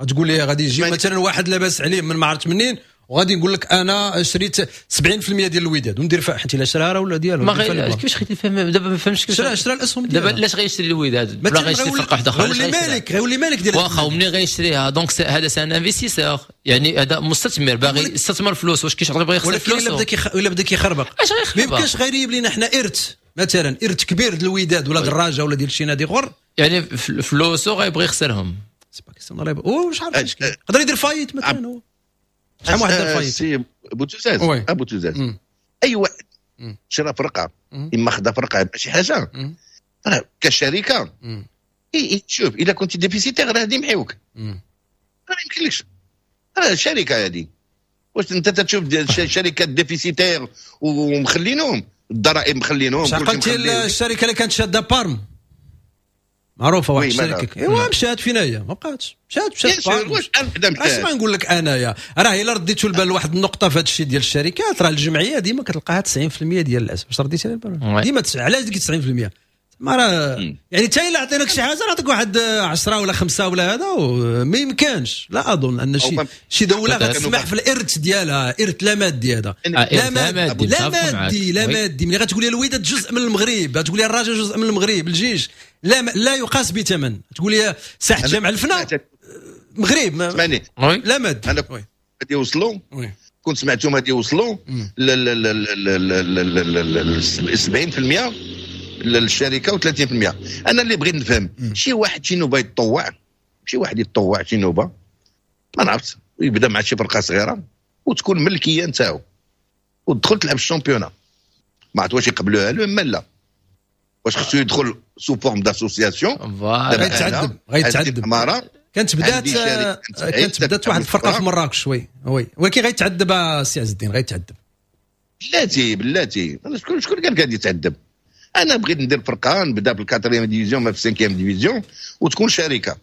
تقول لي غادي يجي مثلا واحد لاباس عليه من ما عرفت منين وغادي يقول لك انا شريت سبعين في المية ديال الوداد وندير فيها، حيت الا شراها راه ولا ديالو. ما غير كيفاش خيتي فهم دابا؟ ما فهمتش كيفاش شرا شرا الاسهم ديالها. دابا علاش غيشري الوداد ولا غيشري فرقه واحدة اخرى؟ غيولي مالك، غيولي مالك ديال واخا، ومنين غيشريها؟ donc هذا c'est un investisseur، يعني هذا مستثمر باغي يستثمر فلوس. واش كيشغل باغي يخسر فلوس؟ الا بدا كيخ... الا بدا كيخربق اش غيخربق؟ ما يمكنش غير لينا حنا ارث مثلا، ارث كبير ديال الوداد ولا الرجاء ولا ديال شي نادي اخر، يعني فلوسو غيبغي يخسرهم. c'est pas question، واش عارف يقدر يدير faillite مثلا هو. شحال واحد دار faillite؟ سي بوتوزاز، ابو توزاز، اي واحد شرا فرقه اما خدا فرقه شي حاجة راه كشركة شوف الا كنت déficitaire راه غادي يمحيوك، راه ما يمكنلكش. راه الشركة هذه واش انت تشوف شركات déficitaires ومخلينهم الضرائب مخلينهم. عقلتي الشركة اللي كانت شاده بارم معروفة واحد الشركة، ايوا مشات فينا هي، ما بقاتش، مشات مشات بارم. اسمع نقول لك انايا راه الا رديتو البال لواحد النقطة في هذا الشيء ديال الشركات، راه الجمعية ديما كتلقاها تسعين في المية ديال الاسهم. واش رديتي البال؟ ديما علاش ديك تسعين في المية؟ ما راه يعني حتى الا عطيناك شي حاجة نعطيك واحد عشرة ولا خمسة ولا هذا، ما يمكنش. لا اظن ان شي شي دولة غتسمح في الارث ديالها، ارث لا مادي هذا، لا مادي لا مادي لا مادي. ملي غتقول لي الوداد جزء من المغرب، غتقول لي الرجاء جزء من المغرب، الجيش لا لا يقاس بثمن. تقول لي ساحة جامع الفنا مغرب لا مادي. انا غادي يوصلوا، كنت سمعتهم غادي يوصلوا ل سبعين بالمية للشركة وثلاثين بالمية. انا اللي بغيت نفهم، شي واحد شي نوبه يتطوع، شي واحد يتطوع شي نوبه ما نعرفت، يبدا مع شي فرقه صغيرة وتكون ملكية نتاعو وتدخل تلعب ال championnat، ما عرفت واش يقبلوها له اما لا، واش خصو يدخل sous forme d'association. غيتعذب غيتعذب. كانت بدات كانت بدات واحد الفرقة في مراكش oui oui، ولكن غيتعذب السي عز الدين، غيتعذب. بلاتي بلاتي، شكون شكون قال غادي يتعذب؟ انا بغيت ندير فرقه، نبدا بال quatrième division ما في cinquième division، وتكون شركة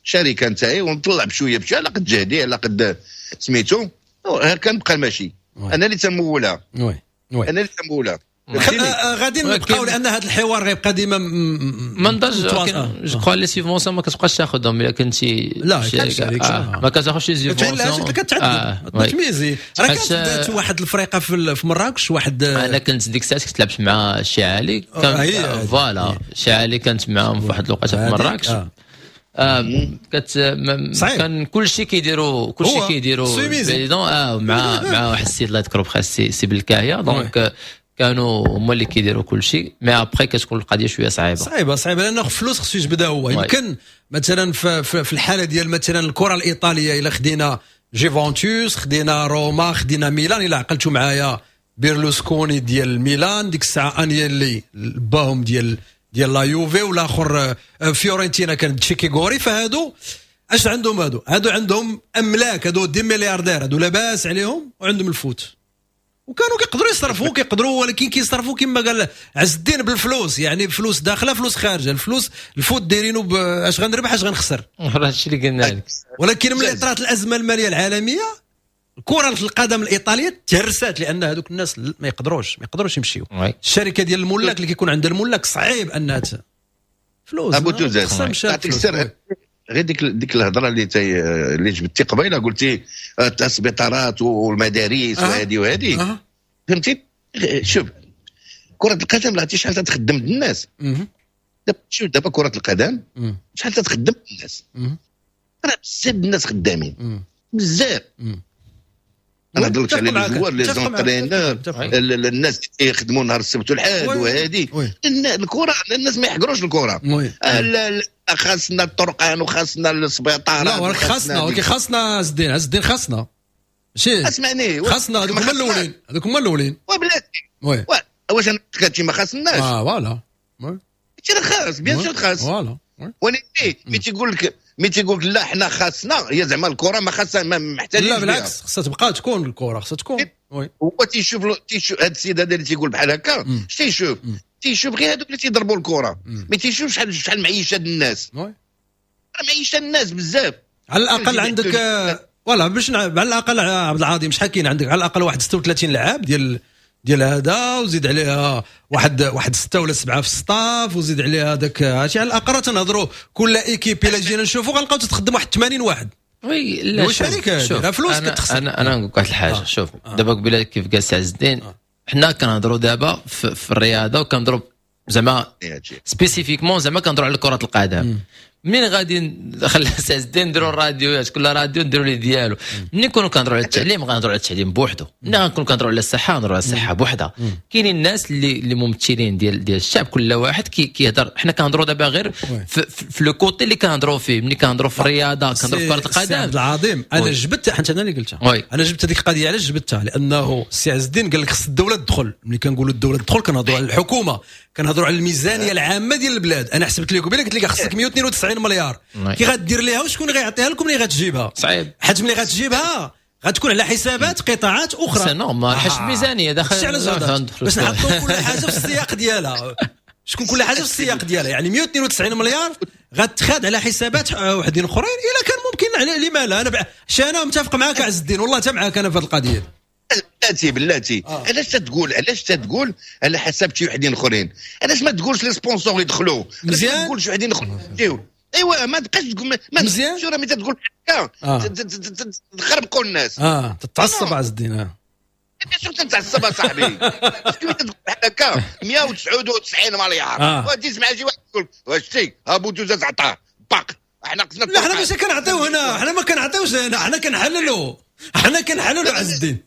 شركة نتاعي، ونطلع بشوية بشوية على قد جهدي على قد سميتو، هكا نبقى ماشي. انا اللي تمولها، oui oui انا اللي تمولها. غادي نبقاو لان هذا الحوار غيبقى ديما ما نضج. je crois les subventions ما كتبقاش تاخذهم الا كنتي لا آه. ما كتاخذش les subventions، كتعذب تميزي. راه كانت بدات واحد الفريقه في مراكش، واحد انا كنت ديك الساعة كنت لعبت مع الشعالي، كان voilà الشعالي كانت معاهم في واحد الوقيته في مراكش. آه كت كان كلشي كيديروا كلشي كيديروا président اه مع مع واحد السيد الله يذكرو بخير، سي سي بالكاهيه. donc كانوا هما اللي كيديروا كل شيء، mais après كتكون القضية شوية صعيبة صعيبة صعيبة لانه فلوس خصو يجبدها هو. يمكن مثلا في, في الحالة ديال مثلا الكره الايطالية، الا خدينا جيفونتوس، خدينا روما، خدينا ميلان، الا عقلتوا معايا بيرلوسكوني ديال ميلان ديك الساعة، انيلي باهم ديال ديال la Juve، والاخر فيورنتينا كان تشيكي غوري. فهادو اش عندهم؟ هادو هادو عندهم املاك، هادو des milliardaires، هادو لاباس عليهم وعندهم ال foot، وكانوا كيقدروا يصرفوا كيقدروا، ولكن كيصرفوا كما قال عز الدين بالفلوس، يعني فلوس داخله فلوس خارجه. الفلوس ال foot دايرينو اش غنربح اش غنخسر، هادشي اللي قلنا لك. ولكن ملي طرات الازمة المالية العالمية، كره القدم الايطالية تهرست، لان هذوك الناس ما يقدروش ما يقدروش يمشيو. الشركة ديال الملاك اللي كيكون عند الملاك صعيب انها فلوس. ابو توزاز نعطيك السر، غير ديك ديك الهضرة اللي تي اللي جبتي قبيلة، قلتي السبيطارات والمدارس وهذه وهذه، أه. فهمتي؟ شوف كره القدم لا شحال تخدم الناس. دابا شوف دابا كره القدم شحال تخدم الناس، راه بزاف الناس خدامين بزاف. انا هضرت على les joueurs، les entraîneurs، الناس اللي يخدموا نهار السبت والحد وهذه الكره، الناس ما يحقروش الكره. لا خاصنا الطرقان وخاصنا السبيطارات، لا ولكن خاصنا، ولكن خاصنا عز الدين، عز الدين خاصنا ماشي اسمعني، خاصنا هذوك هما الاولين، هذوك هما الاولين. وبلاتي واش انا كاتشي ما خاصناش؟ اه voilà هادشي راه خاص، bien sûr خاص. voilà ولكن ملي تيقول لك ملي تيقول لك لا حنا خاصنا، هي زعما الكره ما خاصها ما محتاجين. لا بالعكس خاصها تبقى تكون الكره، خاصها تكون. oui هو تيشوف تيشوف هذا السيد هذا اللي تيقول بحال هكا، اش تيشوف؟ تيشوف غير هذوك اللي تيضربوا الكره، ما تيشوفش شحال شحال معيشة الناس. oui راه معيشة الناس بزاف. على الاقل عندك voilà باش على الاقل عبد العظيم شحال كاين عندك؟ على الاقل واحد ستة وثلاثين لعاب ديال ديال هذا، وزيد عليها واحد واحد ستة ولا سبعة في staff، وزيد عليها داك هادشي. على الاقل تنهضروا كل équipe الا جينا نشوفوا غنلقاو تتخدم واحد ثمانين واحد. oui لا شوف فلوس كتخسر. انا انا نقول لك واحد الحاجة. آه. شوف آه. دابا قبيلة كيف قال سي عز الدين، آه. حنا كنهضروا دابا في, في الرياضة، وكنهضروا زعما spécifiquement زعما كنهضروا على كره القدم. منين غادي نخلي سي عز الدين نديروا الراديوات، كل راديو نديروا لي ديالو. ملي نكونوا كنهضروا على التعليم غنهضروا على التعليم بوحدو، ملي غنكونوا كنهضروا على الصحة غنهضروا على الصحة بوحدها. كاينين الناس اللي اللي ممثلين ديال ديال الشعب، كل واحد كي كيهضر. حنا كنهضروا دابا غير في, في le côté اللي كنهضروا فيه. ملي كنهضروا في الرياضة كنهضروا في كره القدم. عبد العظيم انا جبت حتى انا اللي قلتها، انا جبت هذيك القضية. علاش جبتها؟ لانه السي عز الدين قال لك خص الدولة تدخل. ملي كنقولوا الدولة تدخل كنهضروا على الحكومة، كنهضروا على الميزانية العامة ديال البلاد. انا حسبت لك قبيلة قلت لك خصك مية واثنين وتسعين مليار، كي غدير ليها وشكون غيعطيها لكم ملي غتجيبها؟ صعيب، حيت ملي غتجيبها غتكون على حسابات قطاعات اخرى. c'est normal، حيت الميزانية داخل. باش نحطوا كل حاجة في السياق ديالها، شكون كل حاجة في السياق ديالها. يعني مية واثنين وتسعين مليار غتخاد على حسابات وحدين اخرين الا كان ممكن. على لما لا؟ انا انا متفق معاك عز الدين، والله حتى معاك انا في هذه القضية. بلاتي بلاتي علاش تتقول علاش تتقول على حسب شي وحدين اخرين؟ علاش ما تقولش les sponsors يدخلوا؟ مزيان، ما تقولش وحدين اخرين يجيو. ايوا ما تبقاش تقول ما مزيان. شو راه ملي تقول هكا تخربقوا الناس. اه تتعصب عز الدين. اه شو تتعصب اصاحبي؟ كيف تقول هكا مية وتسعة وتسعين مليار آه. وتجي تسمع شي واحد يقول واش تي ها بوتوزاز عطاه باق. احنا قصنا لا حنا ماشي كنعطيو هنا، حنا ما كنعطيوش هنا، حنا كنحللوا، حنا كنحللوا عز الدين.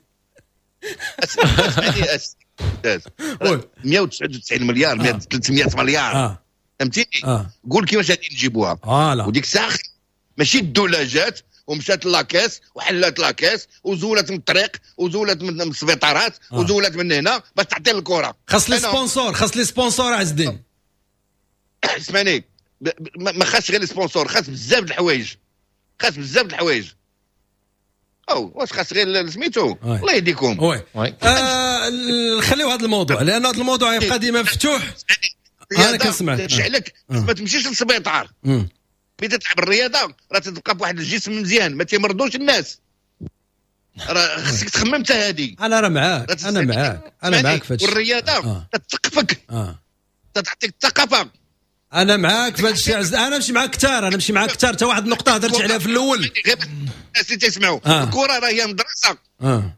مية وتسعة وتسعين مليار ثلاثمية مليار فهمتيني؟ قول كيفاش غادي نجيبوها. وديك الساعة ماشي الدولة جات ومشات la caisse وحلات la caisse وزولت من الطريق وزولت من السبيطارات وزولت من هنا باش تعطي الكره. خاص les sponsors، خاص les sponsors عز الدين. اسمعني، ما خاصش غير les sponsors، خاص بزاف د الحوايج، خاص بزاف د الحوايج. او واش خاص غير سميتو الله يهديكم. oui آه خليو هذا الموضوع لان هذا الموضوع يبقى ديما مفتوح. انا كنسمعك تشعلك ما تمشيش للسبيطار. ملي تلعب الرياضة راه تبقى بواحد الجسم مزيان ما تيمرضوش الناس. راه خصك تخمم حتى هذه. انا راه معاك، انا معاك، انا معاك في هادشي. والرياضة تثقفك، تعطيك الثقافة. انا معاك في هادشي عز، انا نمشي معاك كثار، انا نمشي معاك كثار. حتى واحد النقطة هضرت عليها في الاول. غير الناس اللي تيسمعوا الكره راه هي مدرسه. اه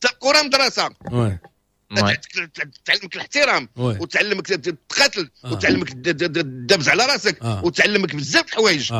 الكره مدرسه. oui تعلمك الاحترام وتعلمك تقاتل وتعلمك تدبز على راسك وتعلمك بزاف الحوايج.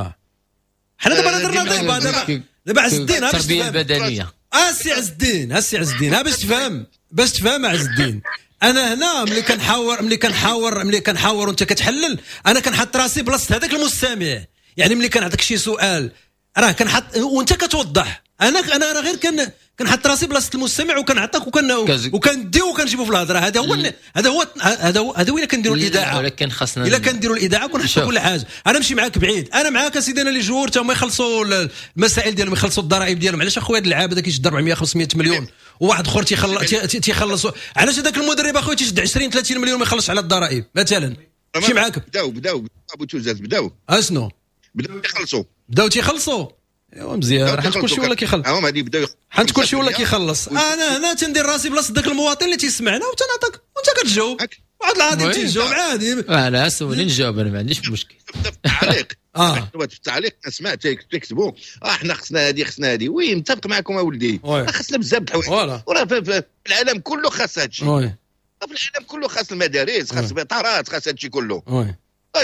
حنا دابا درنا دابا دابا دابا عز الدين التربية البدنية. اسي عز الدين، اسي عز الدين، باش تفهم، باش تفهم عز الدين. انا هنا ملي كنحاور ملي كنحاور ملي كنحاور وانت كتحلل، انا كنحط راسي بلاصة هذاك المستمع. يعني ملي كنعطيك شي سؤال راه كنحط وانت كتوضح. انا انا راه غير كن كنحط راسي بلاصة المستمع وكنعطيك وكن وكنديو وكنجيبو في الهضرة. هذا هو هذا هو هذا هو هذا وين كنديروا الاذاعة. ولكن خاصنا الا كنديروا الاذاعة كنحطوا كل حاجة. انا نمشي معاك بعيد، انا معاك اسيدي. انا les joueurs تا هما يخلصوا المسائل ديالهم، يخلصوا الضرائب ديالهم. علاش اخويا هذا اللعاب هذا كيشد أربعمية خمسمية مليون وواحد اخر تيخلص تيخلص؟ علاش هذاك المدرب اخويا تيشد عشرين ثلاثين مليون ما يخلصش على الضرائب مثلا؟ مشي معاك. بداو بداو ابو توزاز بداو اشنو بداو يخلصوا، بداو تيخلصوا. ايوا مزيان، حيت كلشي ولا كيخلص. هما غادي يبداو، حيت كلشي ولا كيخلص. انا هنا تندير راسي بلاصة داك المواطن اللي تيسمعنا وتنعطيك وانت كتجاوب. واحد العادي تيجاوب عادي. انا سولني نجاوب، انا ما عنديش مشكل. في التعليق اه في التعليق سمعت تكتبوا اه حنا خصنا هذه خصنا هذه. oui متفق معكم اولدي، خصنا بزاف د الحوايج. وراه في العالم كله خاص هادشي. في العالم كله خاص المدارس، خاص السبيطارات، خاص هادشي كله.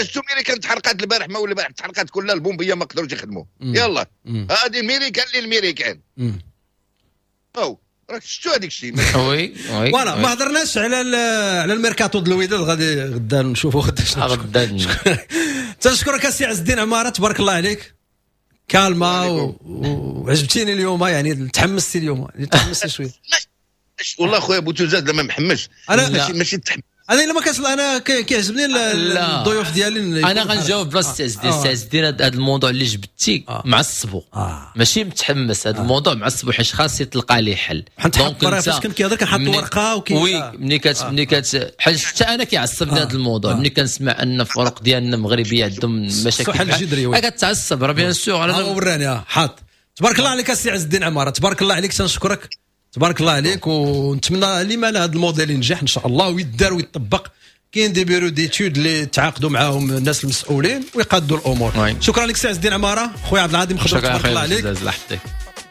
شفتو ميريكان تحرقات البارح، ما ولا البارح تحرقات كلها ال pompiers ما قدروش يخدموا. يلا هذه الميريكان للميريكان. او راك شفتو هذيك الشيء. oui oui voilà. ما هضرناش على على الميركاتو ديال الوداد، غادي غدا نشوفوا غدا شنو غدا. تنشكرك السي عز الدين عمارة، تبارك الله عليك. كالما وعجبتيني اليوم، يعني تحمستي اليوم، تحمستي شوية. والله خويا بوتوزاد لما محمش انا ماشي ماشي تحمس. انا الا ما كانش انا كيعجبني الضيوف ديالي. انا غنجاوب بلاصة عز الدين. عز الدين هذا الموضوع اللي جبتي معصبو، ماشي متحمس. هذا الموضوع معصبو حيت خاص يتلقى ليه حل. donc فاش كان كيهضر كنحط ورقة وكي oui ملي كت ملي كت حيت حتى انا كيعصبني هذا الموضوع. ملي كنسمع ان الفرق ديالنا المغربية عندهم مشاكل جذري كتعصب راه bien sûr. انا وراني حاط. تبارك الله عليك السي عز الدين عمارة، تبارك الله عليك، تنشكرك، تبارك الله عليك. ونتمنى لما لا هذا الموديل ينجح ان شاء الله ويدار ويطبق. كاين des bureaux d'études اللي تعاقدوا معاهم الناس المسؤولين ويقادوا الامور. شكرا لك سي عز الدين عمارة، خويا عبد العظيم خضر، تبارك الله عليك.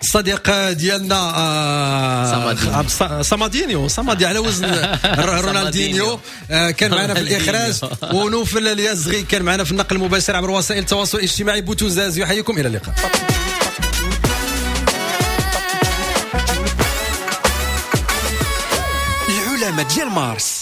الصديق ديالنا آه صمادينيو، صمادي على وزن رونالدينيو، آه كان معنا في الاخراج، ونوفل اليازغي كان معنا في النقل المباشر عبر وسائل التواصل الاجتماعي. بوتوزاز يحييكم، الى اللقاء. العلامة ديال مارس.